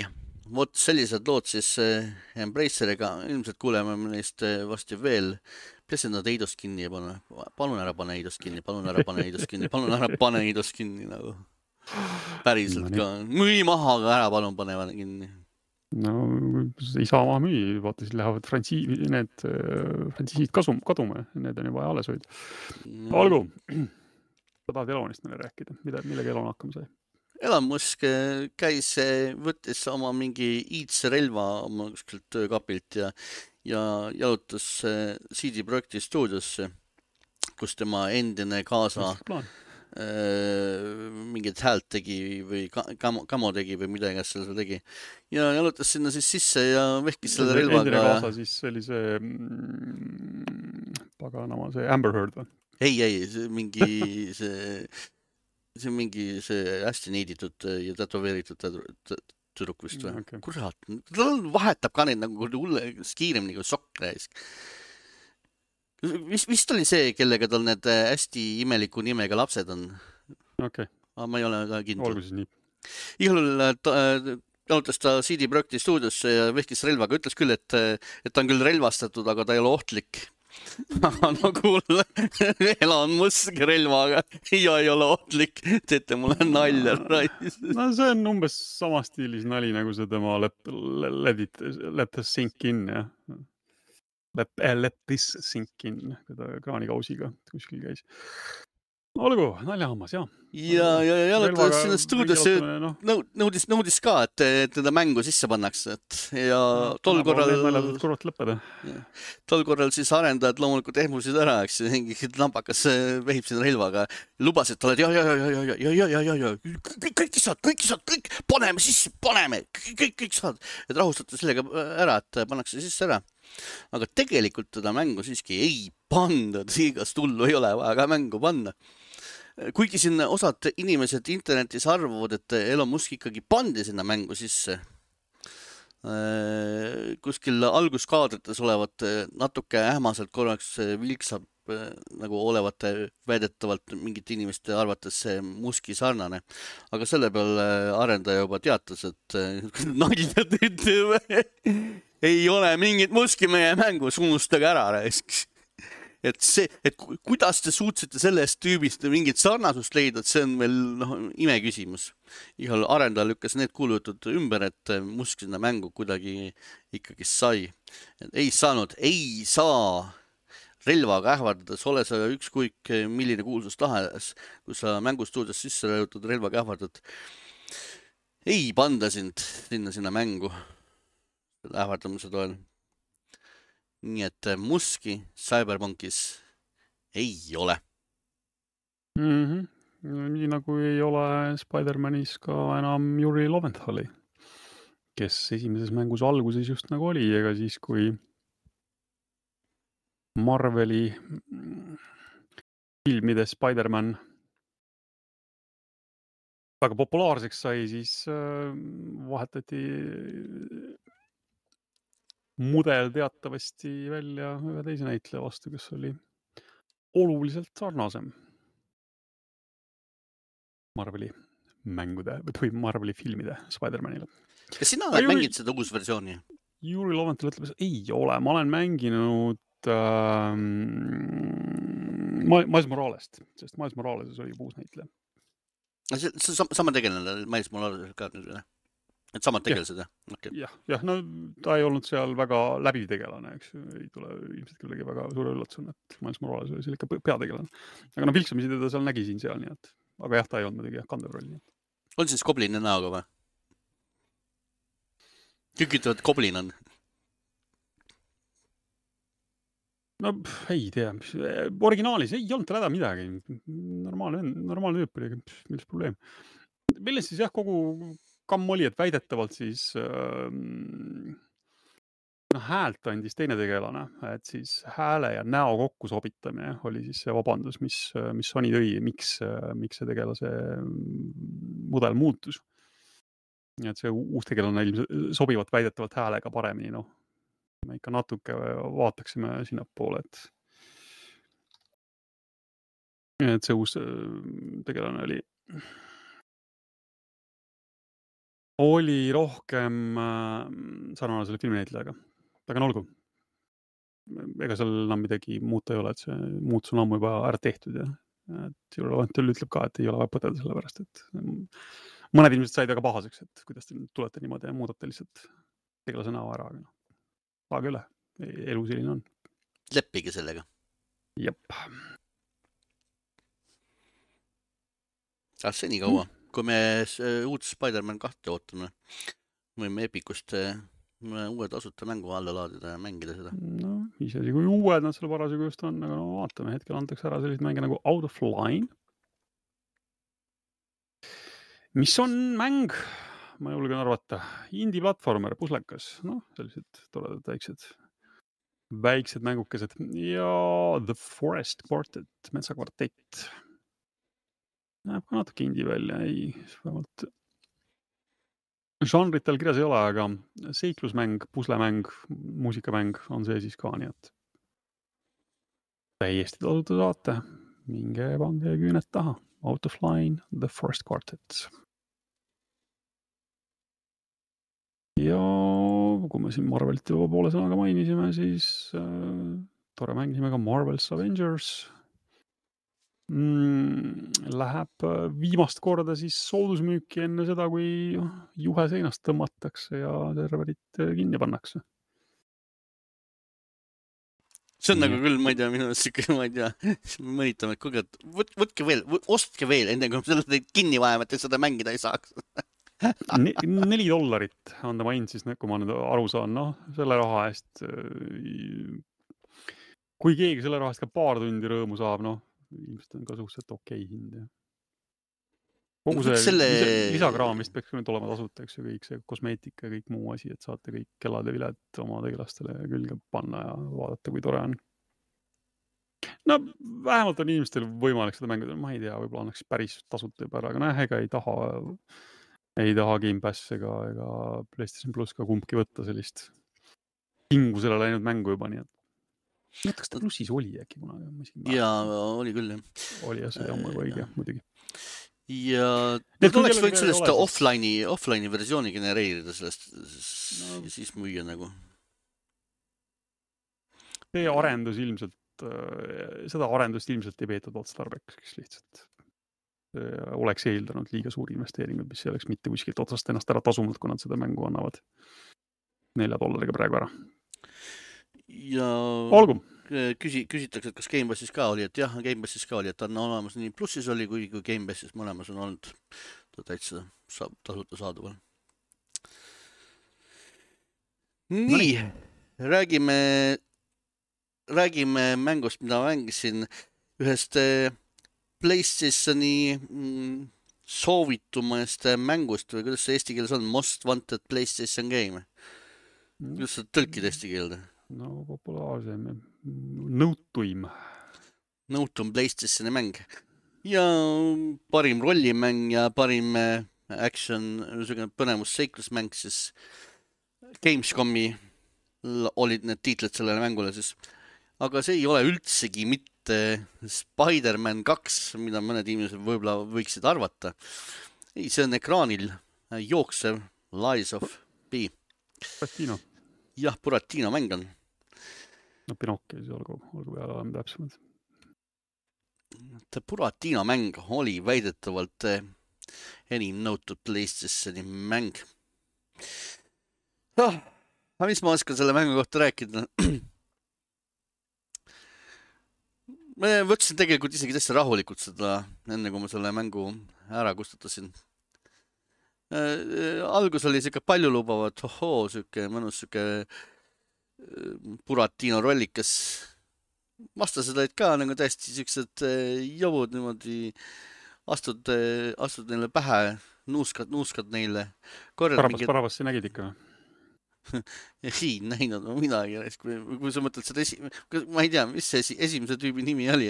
vot sellised lood siis Embraceriga, ilmselt kuuleme neist varsti veel. Peaasi, et nad Eidos kinni ei pane. Palun ära pane Eidos kinni, palun ära pane Eidos kinni, palun ära pane Eidos kinni nagu. Päriselt ka. Müü maha, aga ära palun pane kinni. No ei saa maha müü, vaata siis lähevad frantsiisid kaduma, need on juba alles hoid. Olgu, sa tahad Elonist meile rääkida, millega Elon hakkama sai? Elon Musk käis, võttis oma mingi iidse relva oma kuskilt töökapilt ja jalutas CD Projekti stuudiosse, kus tema endine kaasa mingit häält tegi või kamo tegi või midagi seal tegi. Ja jalutas sinna siis sisse ja vehkis selle relvaga. Endine kaasa siis oli see paganama, see Amber Heard või? Ei, see mingi hästi neiditud ja tätoveeritud tüdruk vist või? Okay. Kurat, ta vahetab ka neid nagu kiiremini kui sokk. Vist oli see, kellega tal need hästi imeliku nimega lapsed on. Okay. Aga ma ei ole ka kindel. Olgu siis nii. Igal jalutas ta CD Projekti stuudiosse ja vehkis relvaga. Ütles küll, et ta on küll relvastatud, aga ta ei ole ohtlik. No kuule, Elon Musk relvaga ja ei ole ohtlik, teete mulle nalja. No see on umbes sama stiilis nali, nagu see tema let us sink in, jah. Let this sink in, kui ta kraanikausiga kuskil käis. Olgu, naljahammas, jah. ja jalutades sinna stuudiosse nõudis ka, et teda mängu sisse pannakse, et ja tol korral siis arendajad loomulikult ehmusid ära, eks mingi lambakas vehib sinna relvaga, lubas, et oled kõik saad, paneme sisse, kõik saad, et rahustate sellega ära, et pannakse sisse ära. Aga tegelikult teda mängu siiski ei panda, igast hullu ei ole vaja ka mängu panna. Kuigi siin osad inimesed internetis arvavad, et Elon Musk ikkagi pandi sinna mängu sisse. Kuskil alguskaadrites olevat natuke ähmaselt korraks vilksab nagu olevat väidetavalt mingite inimeste arvates see Muski sarnane. Aga selle peale arendaja juba teatas, et nalja teete, ei ole mingit Muski meie mängus, unustage ära, raisk. Et kuidas te suutsite sellest tüübist mingit sarnasust leida, et see on veel imeküsimus. Igal arendaja lükkas need kuulujutud ümber, et Musk sinna mängu kuidagi ikkagi sai. Ei saanud, ei saa relvaga ähvardades, ole sa ükskõik milline kuulsus tahes, kui sa mängustuudios sisse rõhutad relvaga ähvardad. Ei panda sind sinna mängu ähvardamise toel. Nii et Muski Cyberpunkis ei ole. Nii nagu ei ole Spider-Manis ka enam Yuri Lowenthali, kes esimeses mängus alguses just nagu oli, ega siis kui Marveli filmide Spider-Man väga populaarseks sai, siis vahetati mudel teatavasti välja ühe teise näitleja vastu, kes oli oluliselt sarnasem Marveli mängude või Marveli filmide Spider-Manile. Kas sina oled mänginud seda uus versiooni? Yuri Lowenthal ütleb, et ei ole. Ma olen mänginud Miles Moralest, sest Miles Morales oli uus näitleja. Sama tegelane Miles Morales ka nüüd, et samad tegelased, jah? Okay. Jah, no ta ei olnud seal väga läbiv tegelane, eks ei tule ilmselt kellegi väga suure üllatusena, et Miles Morales oli seal ikka peategelane. Aga no vilksamisi teda seal nägi siin seal, nii et aga jah, ta ei olnud muidugi kandev roll. On siis Goblini näoga või? Kõik ütlevad, et Goblin on. No ei tea, originaalis ei olnud tal häda midagi. Normaalne tüüp oli, milles probleem. Milles siis jah, kogu kamm oli, et väidetavalt siis häält andis teine tegelane, et siis hääle ja näo kokku sobitamine oli siis see vabandus, mis Sony tõi, miks see tegelase mudel muutus. Et see uus tegelane sobivat väidetavalt häälega paremini, me ikka natuke vaataksime sinna poole, et see uus tegelane oli rohkem sarnane selle filminäitlejaga. Aga olgu. Ega seal enam midagi muuta ei ole, et see muutus on ammu juba ära tehtud ja Yuri Lowenthal ütleb ka, et ei ole vaja põdeda selle pärast, et mõned inimesed said väga pahaseks, et kuidas te tulete niimoodi ja muudate lihtsalt tegelase näo ära. Saage üle, elu selline on. Leppige sellega. Jep. See nii kaua. Kui me uut Spider-Man 2 ootame, võime Epicust uue tasuta mängu alla laadida ja mängida seda. No, isegi kui uued nad seal parasjagu just on, aga vaatame, hetkel antakse ära sellised mänge nagu Out of Line, mis on mäng, ma julgen arvata, indie-platformer, puslekas, sellised toredad väiksed mängukesed ja The Forest Quartet, metsakvartett. Näeb ka natuke indie välja, ei, vähemalt žanritel kirjas ei ole, aga seiklusmäng, puslemäng, muusikamäng on see siis ka, nii et täiesti tasuta saate. Minge pange küüned taha. Out of Line, The Forest Quartet. Ja kui me siin Marvelit juba poole sõnaga mainisime, siis tore mängisime ka Marvel's Avengers. Läheb viimast korda siis soodusmüüki enne seda, kui juhe seinast tõmmatakse ja serverit kinni pannakse. See on nagu küll, ma ei tea, minu arust, ma ei tea, mõnitame, et kuulge, võtke veel, ostke veel, enne kui selle teid kinni vajame, et te seda mängida ei saaks. $4 on ta main siis, kui ma nüüd aru saan, noh, selle raha eest, kui keegi selle raha eest ka paar tundi rõõmu saab, noh, ilmselt on ka suhteliselt okei hind. Ja. Kogu see lisakraam vist peaks nüüd olema tasuta, eks ju, kõik see kosmeetika ja kõik muu asi, et saate kõik kellad ja viled oma tegelastele külge panna ja vaadata, kui tore on. No vähemalt on inimestel võimalik seda mängida, ma ei tea, võib-olla annaks päris tasuta juba ära, aga näe, ega ei taha Game Pass ega PlayStation Plus ka kumbki võtta sellist hingusele läinud mängu juba, nii et kas ta plussis oli äkki kunagi? Jaa, oli küll, jah. Oli, jah, see jamma kui õige, muidugi. Ja nad oleks võinud sellest offline'i versiooni genereerida sellest ja siis müüa nagu. See arendus ilmselt, seda arendust ilmselt ei peetud otstarbekaks lihtsalt. Oleks eeldanud liiga suuri investeeringuid, mis ei oleks mitte kuskilt otsast ennast ära tasumalt, kui nad seda mängu annavad $4 praegu ära. Ja olgu. Küsitakse, et kas Game Passis ka oli, et jah, Game Passis ka oli, et on olemas nii plussis oli, kui Game Passis mõlemas on olnud täitsa tasuta saadaval. Nii, räägime mängust, mida mängisin ühest PlayStationi soovitumast mängust või kuidas see eesti keeles on? Most Wanted PlayStation Game. Kuidas sa tõlkid eesti keelde? No populaarsem, nõutuim PlayStationi mäng ja parim rollimäng ja parim action, põnevusseiklusmäng, siis Gamescomi olid need tiitlid sellele mängule siis. Aga see ei ole üldsegi mitte Spider-Man 2, mida mõned inimesed võib-olla võiksid arvata. Ei, see on ekraanil jooksev Lies of P. Buratino. Jah, Buratino mäng on. No Pinocchio siis olgu peale olema täpsemalt. Buratino mäng oli väidetavalt enim nõutud PlayStationi mäng. Aga mis ma oskan selle mängu kohta rääkida? Ma võtsin tegelikult isegi täitsa rahulikult seda, enne kui ma selle mängu ära kustutasin. Algus oli siuke palju lubavat, siuke mõnus siuke Buratino rollikas. Vastased olid ka nagu täiesti siuksed jõvud niimoodi, astud neile pähe, nuuskad neile. Parabas sa nägid ikka? Ei näinud midagi, kui sa mõtled seda ma ei tea, mis see esimese tüübi nimi oli.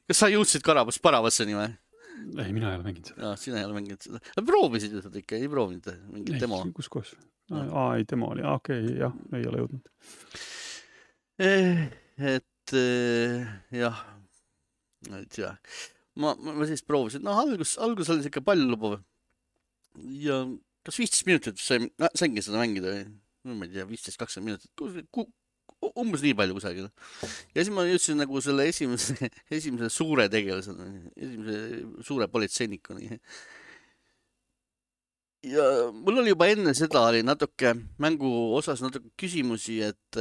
Kas sa jõudsid Paravasseni või? Ei, mina ei ole mänginud seda. Sina ei ole mänginud seda. Proovisid ju seda ikka, ei proovinud mingit demo? Kus koos? Ei, demo oli. Okei, jah, ei ole jõudnud. Et jah, ei tea. Ma siis proovisin. Algus oli ikka palju lubav. Ja kas 15 minutit saingi seda mängida või? Ma ei tea, 15-20 minutit. Umbes nii palju kusagil. Ja siis ma jõudsin nagu selle esimese suure tegelasena, esimese suure politseinikuni. Ja mul oli juba enne seda oli natuke mängu osas natuke küsimusi, et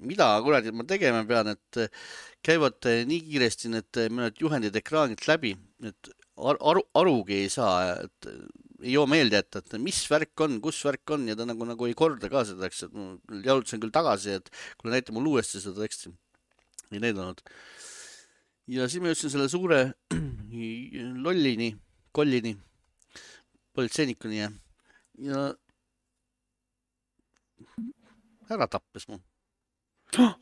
mida kuradi ma tegema pean, et käivad nii kiiresti need mõned juhendid ekraanilt läbi, et arugi ei saa, et ei joo meelde, et mis värk on, kus värk on ja ta nagu ei korda ka seda, eks, et ma jaudutasin küll tagasi, et kui näita mul uuesti seda teksti. Ei näidanud. Ja siis ma jõudsin selle suure kollini, politseinikuni ja ära tappes mu.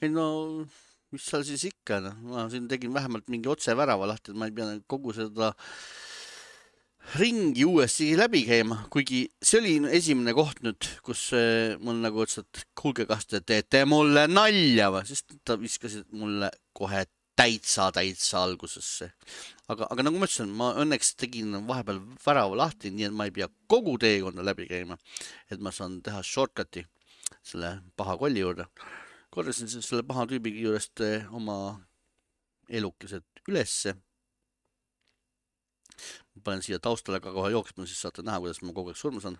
Ei no, mis seal siis ikka, ma siin tegin vähemalt mingi otsevärava lahti, et ma ei pea kogu seda ringi uuesti läbi käima, kuigi see oli esimene koht nüüd, kus mul nagu ütles, et kuulge, kas te teete mulle nalja või, sest ta viskasid mulle kohe täitsa algusesse. Aga nagu ma ütlesin, ma õnneks tegin vahepeal värava lahti, nii et ma ei pea kogu teekonda läbi käima, et ma saan teha shortcuti selle paha kolli juurde. Kordasin selle paha tüübi juurest oma elukesed ülesse. Ma panen siia taustale ka kohe jooksma, siis saate näha, kuidas ma kogu aeg surma saan.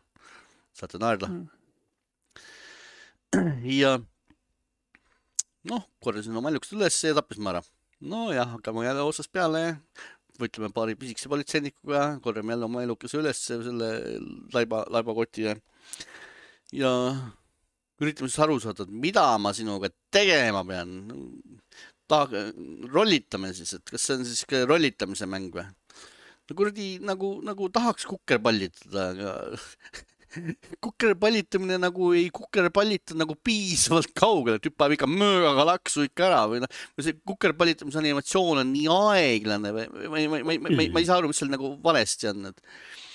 Saate naerda. Ja noh, korjasin oma ellukesed üles ja tappis ma ära. No jah, hakkame jälle otsast peale, võtleme paari pisikese politseinikuga, korjame jälle oma ellukese üles selle laibakoti ja üritame siis aru saada, et mida ma sinuga tegema pean. Rollitame siis, et kas see on siis rollitamise mäng või? No kuradi nagu tahaks kukerpallitada, aga kukerpallitamine nagu ei kukerpallita nagu piisavalt kaugele, et hüppab ikka möögaga laksu ikka ära või noh, see kukerpallitamise animatsioon on nii aeglane või ma ei saa aru, mis seal nagu valesti on.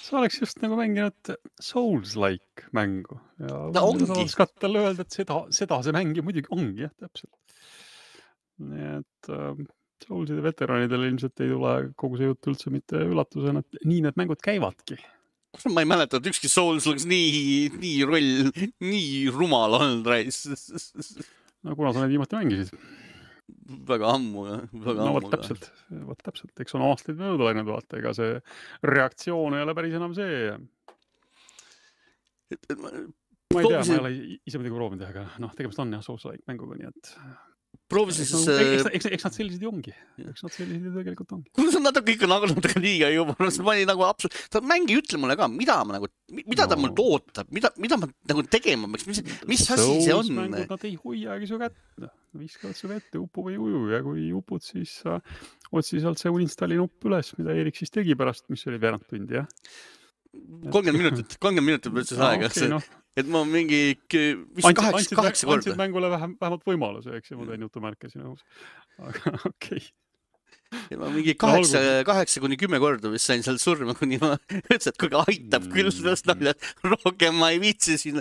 Sa oleks just nagu mänginud Souls-like mängu ja ongi. Saad talle öelda, et seda see mäng ju muidugi ongi, jah, täpselt. Nii et Soulside veteranidel ilmselt ei tule kogu see jutt üldse mitte üllatusena, et nii need mängud käivadki. Ma ei mäleta, et ükski Souls oleks nii rumal olnud reis. No kuna sa need viimati mängisid? Väga ammu. No vot täpselt. Eks on aastaid mööda läinud vaata, ega see reaktsioon ei ole päris enam see. Ma ei tea, ma ei ole ise midagi proovinud, aga noh, tegemist on jah Souls-like mänguga, nii et proovisin siis... Eks nad sellised ju ongi. Eks nad sellised ju tegelikult ongi. See on natuke liiga juba. Ma olin nagu absoluut... Ta mängi ütle mulle ka, mida ta mul ootab, mida ma nagu tegema peaks, mis asi see on? Mängud, nad ei hoiagi su kätt. Viskavad su vette, upu või uju ja kui upud, siis otsi sealt see uninstalli nupp üles, mida Erik siis tegi pärast, mis oli veerand tundi, jah? 30 minutit võtses aega. Okay, no. Et ma mingi 8 korda. Andsid mängule vähemalt võimaluse, eks ja ma teen jutumärke sinu õhus. Aga okei. Ja ma mingi 8 kuni 10 korda vist sain seal surma, kuni ma ütlesin, et kuigi aitab küll sellest naljad. Rohkem ma ei viitsi siin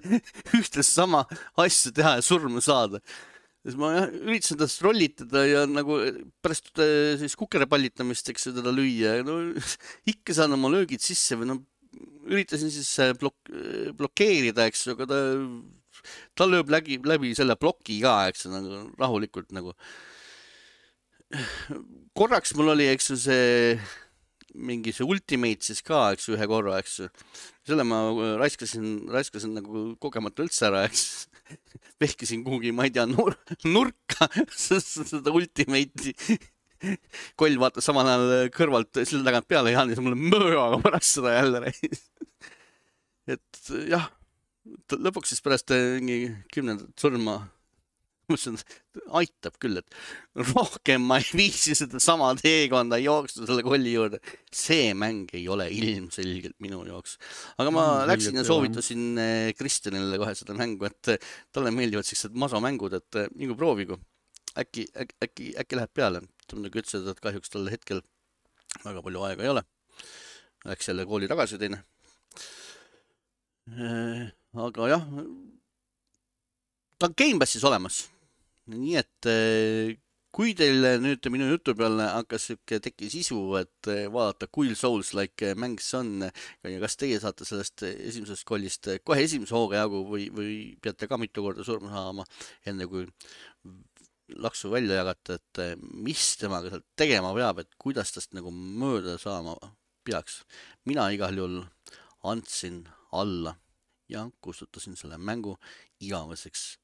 ühte sama asja teha ja surma saada. Siis ma üritasin tast rollitada ja nagu pärast siis kukerepallitamist, eks teda lüüa. No, ikka saan oma löögid sisse või no üritasin siis blokeerida, eks, aga ta lööb läbi selle ploki ka, eks, nagu rahulikult nagu. Korraks mul oli, eks, see mingi see ultimate siis ka, eks, ühe korra, eks. Selle ma raiskasin nagu kogemata üldse ära, eks. Vehkisin kuhugi, ma ei tea, nurka seda ultimate'i. Koll vaatas samal ajal kõrvalt selle tagant peale ja andis mulle möögaga pärast seda jälle. Et jah, lõpuks siis pärast 10. surma mõtlesin, aitab küll, et rohkem ma ei viisi seda sama teekonda jooksta selle kolli juurde. See mäng ei ole ilmselgelt minu jooks. Aga ma läksin ja soovitasin Kristjanile kohe seda mängu, et talle meeldivad sellised masomängud, et nagu proovigu. Äkki läheb peale. Ta muidugi ütles, et kahjuks tal hetkel väga palju aega ei ole. Läks jälle kooli tagasi teine. Aga jah, ta on Game Passis olemas. Nii et kui teil nüüd minu jutu peale hakkas tekkis isu, et vaadata, kui Souls-like mäng see on ja kas teie saate sellest esimesest kollist kohe esimese hooga jagu või peate ka mitu korda surma saama, enne kui laksu välja jagata, et mis temaga sealt tegema peab, et kuidas tast nagu mööda saama peaks. Mina igal juhul andsin alla ja kustutasin selle mängu igaveseks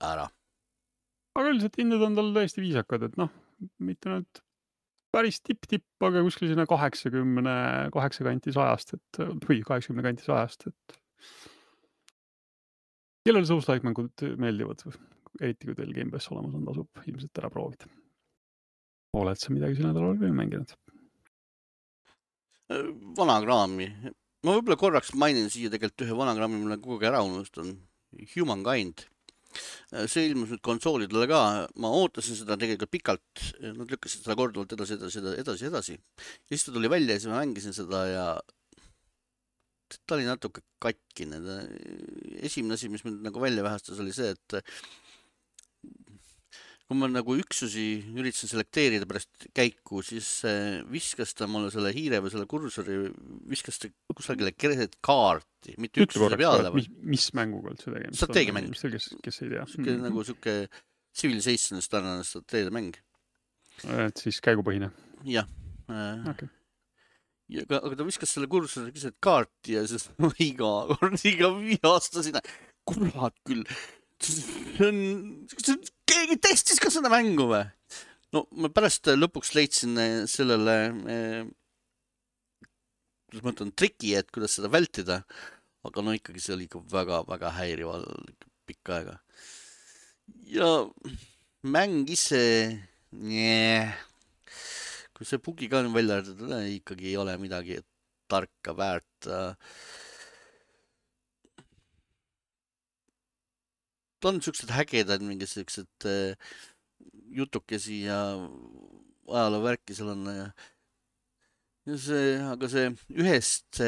ära. Aga üldiselt hinded on tal tõesti viisakad, et noh, mitte nüüd päris tipp, aga kuskil sinna 88 kanti 100-st, või 80 kanti 100-st, et kellel Souls-like mängud meeldivad või? Eriti kui teil Game Pass olemas on, tasub ilmselt ära proovida. Oled sa midagi selle nädalal veel mänginud? Vana kraami. Ma võib-olla korraks mainin siia tegelikult ühe vana kraami, mille kogu ära unustan. Humankind. See ilmus nüüd konsoolidele ka. Ma ootasin seda tegelikult pikalt. Nad lükkasid seda korduvalt edasi. Ja siis ta tuli välja ja siis ma mängisin seda ja ta oli natuke katkine. Esimene asi, mis mind nagu välja vähestas, oli see, et kui ma nagu üksusi üritasin selekteerida pärast käiku, siis viskas ta mulle selle hiire või selle kursori, viskas ta kusagile keset kaarti, mitte üksuse peale. Mis mänguga üldse tegemist? Strateegiamäng. Kes ei tea. Nagu siuke Civilizationist tarnane strateegiamäng. Et siis käigupõhine? Jah. Okay. Aga ta viskas selle kursori keset kaarti ja siis iga kord vihastasina. Kurat küll. keegi testis ka seda mängu või? No ma pärast lõpuks leidsin sellele kuidas ma ütlen, triki, et kuidas seda vältida, aga no ikkagi see oli ikka väga-väga häirival pikka aega. Ja mäng ise, kui see bugi ka välja arvatud, ikkagi ei ole midagi tarka väärt. Ta on siuksed hägedad, mingid siuksed jutukesi ja ajaloovärki seal on. Ja see, aga see ühest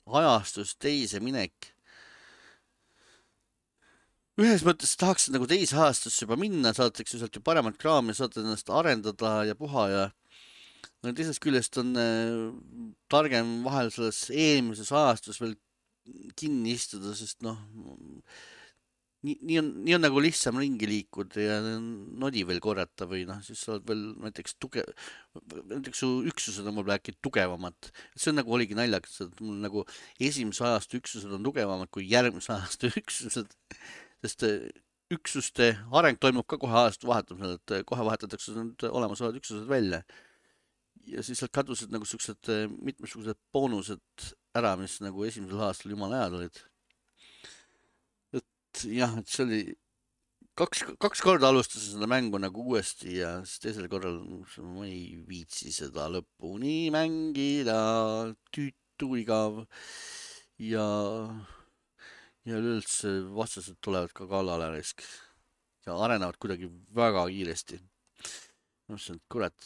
ajastust teise minek. Ühes mõttes tahaks nagu teise ajastusse juba minna, saad eks ju sealt ju paremat kraami, saad ennast arendada ja puha ja no teisest küljest on targem vahel selles eelmises ajastus veel kinni istuda, sest noh, nii on nagu lihtsam ringi liikuda ja nodi veel korrata või noh, siis sa oled veel näiteks su üksused on võib-olla äkki tugevamad. See on nagu oligi naljakas, et mul nagu esimese ajastu üksused on tugevamad kui järgmise ajastu üksused, sest üksuste areng toimub ka kohe ajastu vahetamisel, et kohe vahetatakse need olemasolevad üksused välja. Ja siis sealt kadusid nagu siuksed mitmesugused boonused ära, mis nagu esimesel aastal jumala ajad olid. Jah, et see oli kaks korda alustasin seda mängu nagu uuesti ja siis teisel korral ma ei viitsi seda lõpuni mängida, tüütu igav ja üleüldse vastased tulevad ka kallale risk ja arenevad kuidagi väga kiiresti. Mõtlesin, et kurat,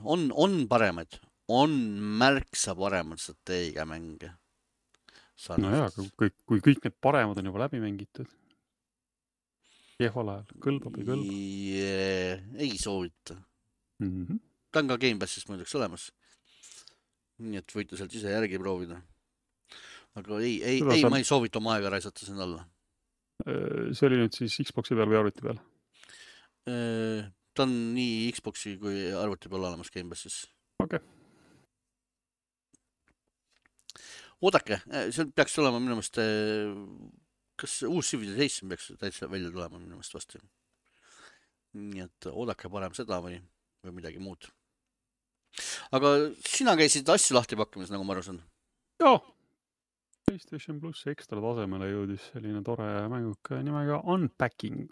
on paremaid, on märksa paremad strateegia mänge. No jaa, kui kõik need paremad on juba läbi mängitud. Kehval ajal, kõlbab või kõlbab? Ei soovita. Ta on ka Game Passist muideks olemas. Nii et võite sealt ise järgi proovida. Aga ma ei soovita oma aega raisata sinna alla. See oli nüüd siis Xboxi peal või arvuti peal? Ta on nii Xboxi kui arvuti peal olemas Game Passis. Okei. Oodake, see peaks olema minu meelest kas uus Civilization peaks täitsa välja tulema minu meelest vastu. Nii et oodake parem seda või midagi muud. Aga sina käisid asju lahti pakkimas, nagu ma aru saan? Joo. PlayStation Plus ekstra tasemele jõudis selline tore mänguke nimega Unpacking.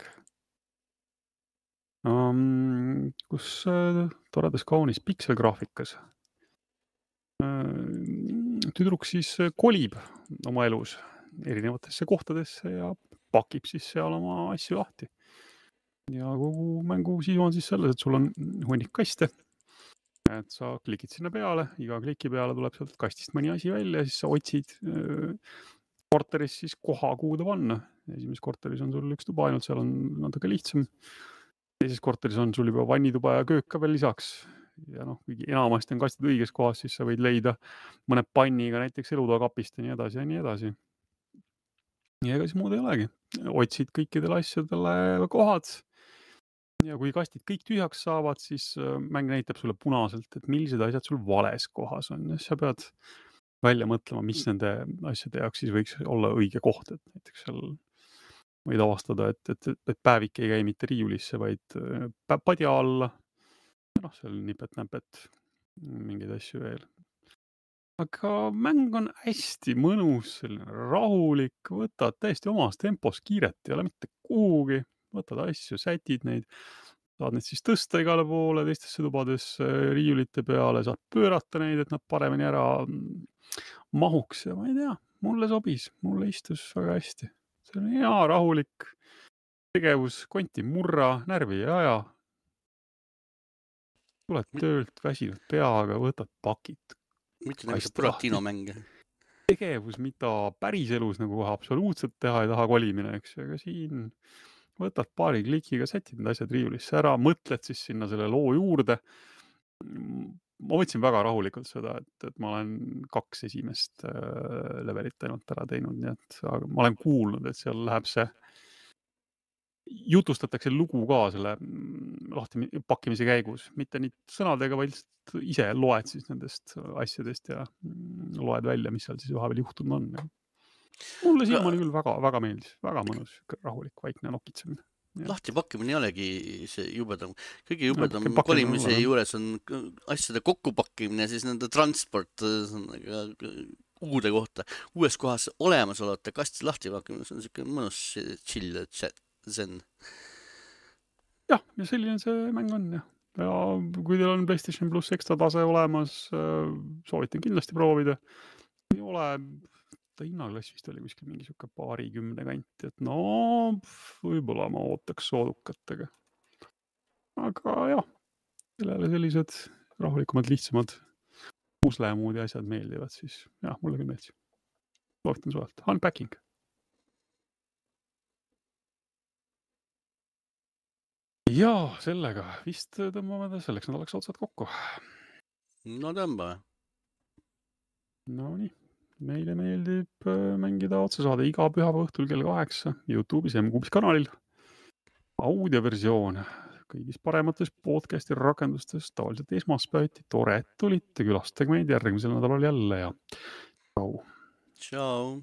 Kus toredas kaunis pikselgraafikas. Tüdruk siis kolib oma elus erinevatesse kohtadesse ja pakib siis seal oma asju lahti. Ja kogu mängu sisu on siis selles, et sul on hunnik kaste. Et sa klikid sinna peale, iga kliki peale tuleb sealt kastist mõni asi välja ja siis sa otsid korteris siis koha, kuhu ta panna. Esimeses korteris on sul üks tuba ainult, seal on natuke lihtsam. Teises korteris on sul juba vannituba ja köök ka veel lisaks. Ja noh, kuigi enamasti on kastid õiges kohas, siis sa võid leida mõne panniga näiteks elutoakapist ja nii edasi ja nii edasi. Ja ega siis muud ei olegi. Otsid kõikidele asjadele kohad. Ja kui kastid kõik tühjaks saavad, siis mäng näitab sulle punaselt, et millised asjad sul vales kohas on. Ja sa pead välja mõtlema, mis nende asjade jaoks siis võiks olla õige koht. Et näiteks seal võid avastada, et päevik ei käi mitte riiulisse, vaid padja alla. Ja noh, seal nipet-näpet mingeid asju veel. Aga mäng on hästi mõnus, rahulik, võtad täiesti omas tempos kiiret, ei ole mitte kuhugi, võtad asju, sätid neid, saad neid siis tõsta igale poole, teistesse tubadesse, riiulite peale, saad pöörata neid, et nad paremini ära mahuks ja ma ei tea, mulle sobis, mulle istus väga hästi. See on hea, rahulik tegevus, konti murra, närvi ei aja. Tuled töölt, väsinud peaga, võtad pakid. Mitte nagu see Buratino mäng. Tegevus, mida päriselus nagu kohe absoluutselt teha ei taha kolimine, eks. Aga siin võtad paari klikiga, sätid need asjad riiulisse ära, mõtled siis sinna selle loo juurde. Ma võtsin väga rahulikult seda, et ma olen 2 esimest levelit ainult ära teinud, nii et ma olen kuulnud, et seal läheb see jutustatakse lugu ka selle lahti pakkimise käigus, mitte nii sõnadega, vaid ise loed siis nendest asjadest ja loed välja, mis seal siis vahepeal juhtunud on. Mulle siiamaani küll väga meeldis, väga mõnus, rahulik, vaikne nokitsemine. lahtipakkimine ei olegi see jubedam. Kõige jubedam pakendamine kolimise olla, juures on asjade kokkupakkimine ja siis nende transport uude kohta, uues kohas olemasolevate kastide lahtipakkimine, see on siuke mõnus chill zen. Jah, ja selline see mäng on ja kui teil on PlayStation Plus ekstra tase olemas, soovitan kindlasti proovida. Ei ole, ta hinnaklass vist oli kuskil mingi siuke 20 kanti, et no võib-olla ma ootaks soodukatega. Aga jah, kellele sellised rahulikumad, lihtsamad puslemuudi asjad meeldivad, siis jah, mulle küll meeldis. Soovitan suvalt. Unpacking. Ja sellega vist tõmbame selleks nädalaks otsad kokku. No tõmba. No nii, meile meeldib mängida otsesaade iga pühapäeva õhtul kell 8 YouTube'is ja M-Kuubis kanalil. Audioversioon kõigis paremates podcasti rakendustes tavaliselt esmaspäeviti. Tore, et tulite, külastage meid järgmisel nädalal jälle ja tšau. Tšau.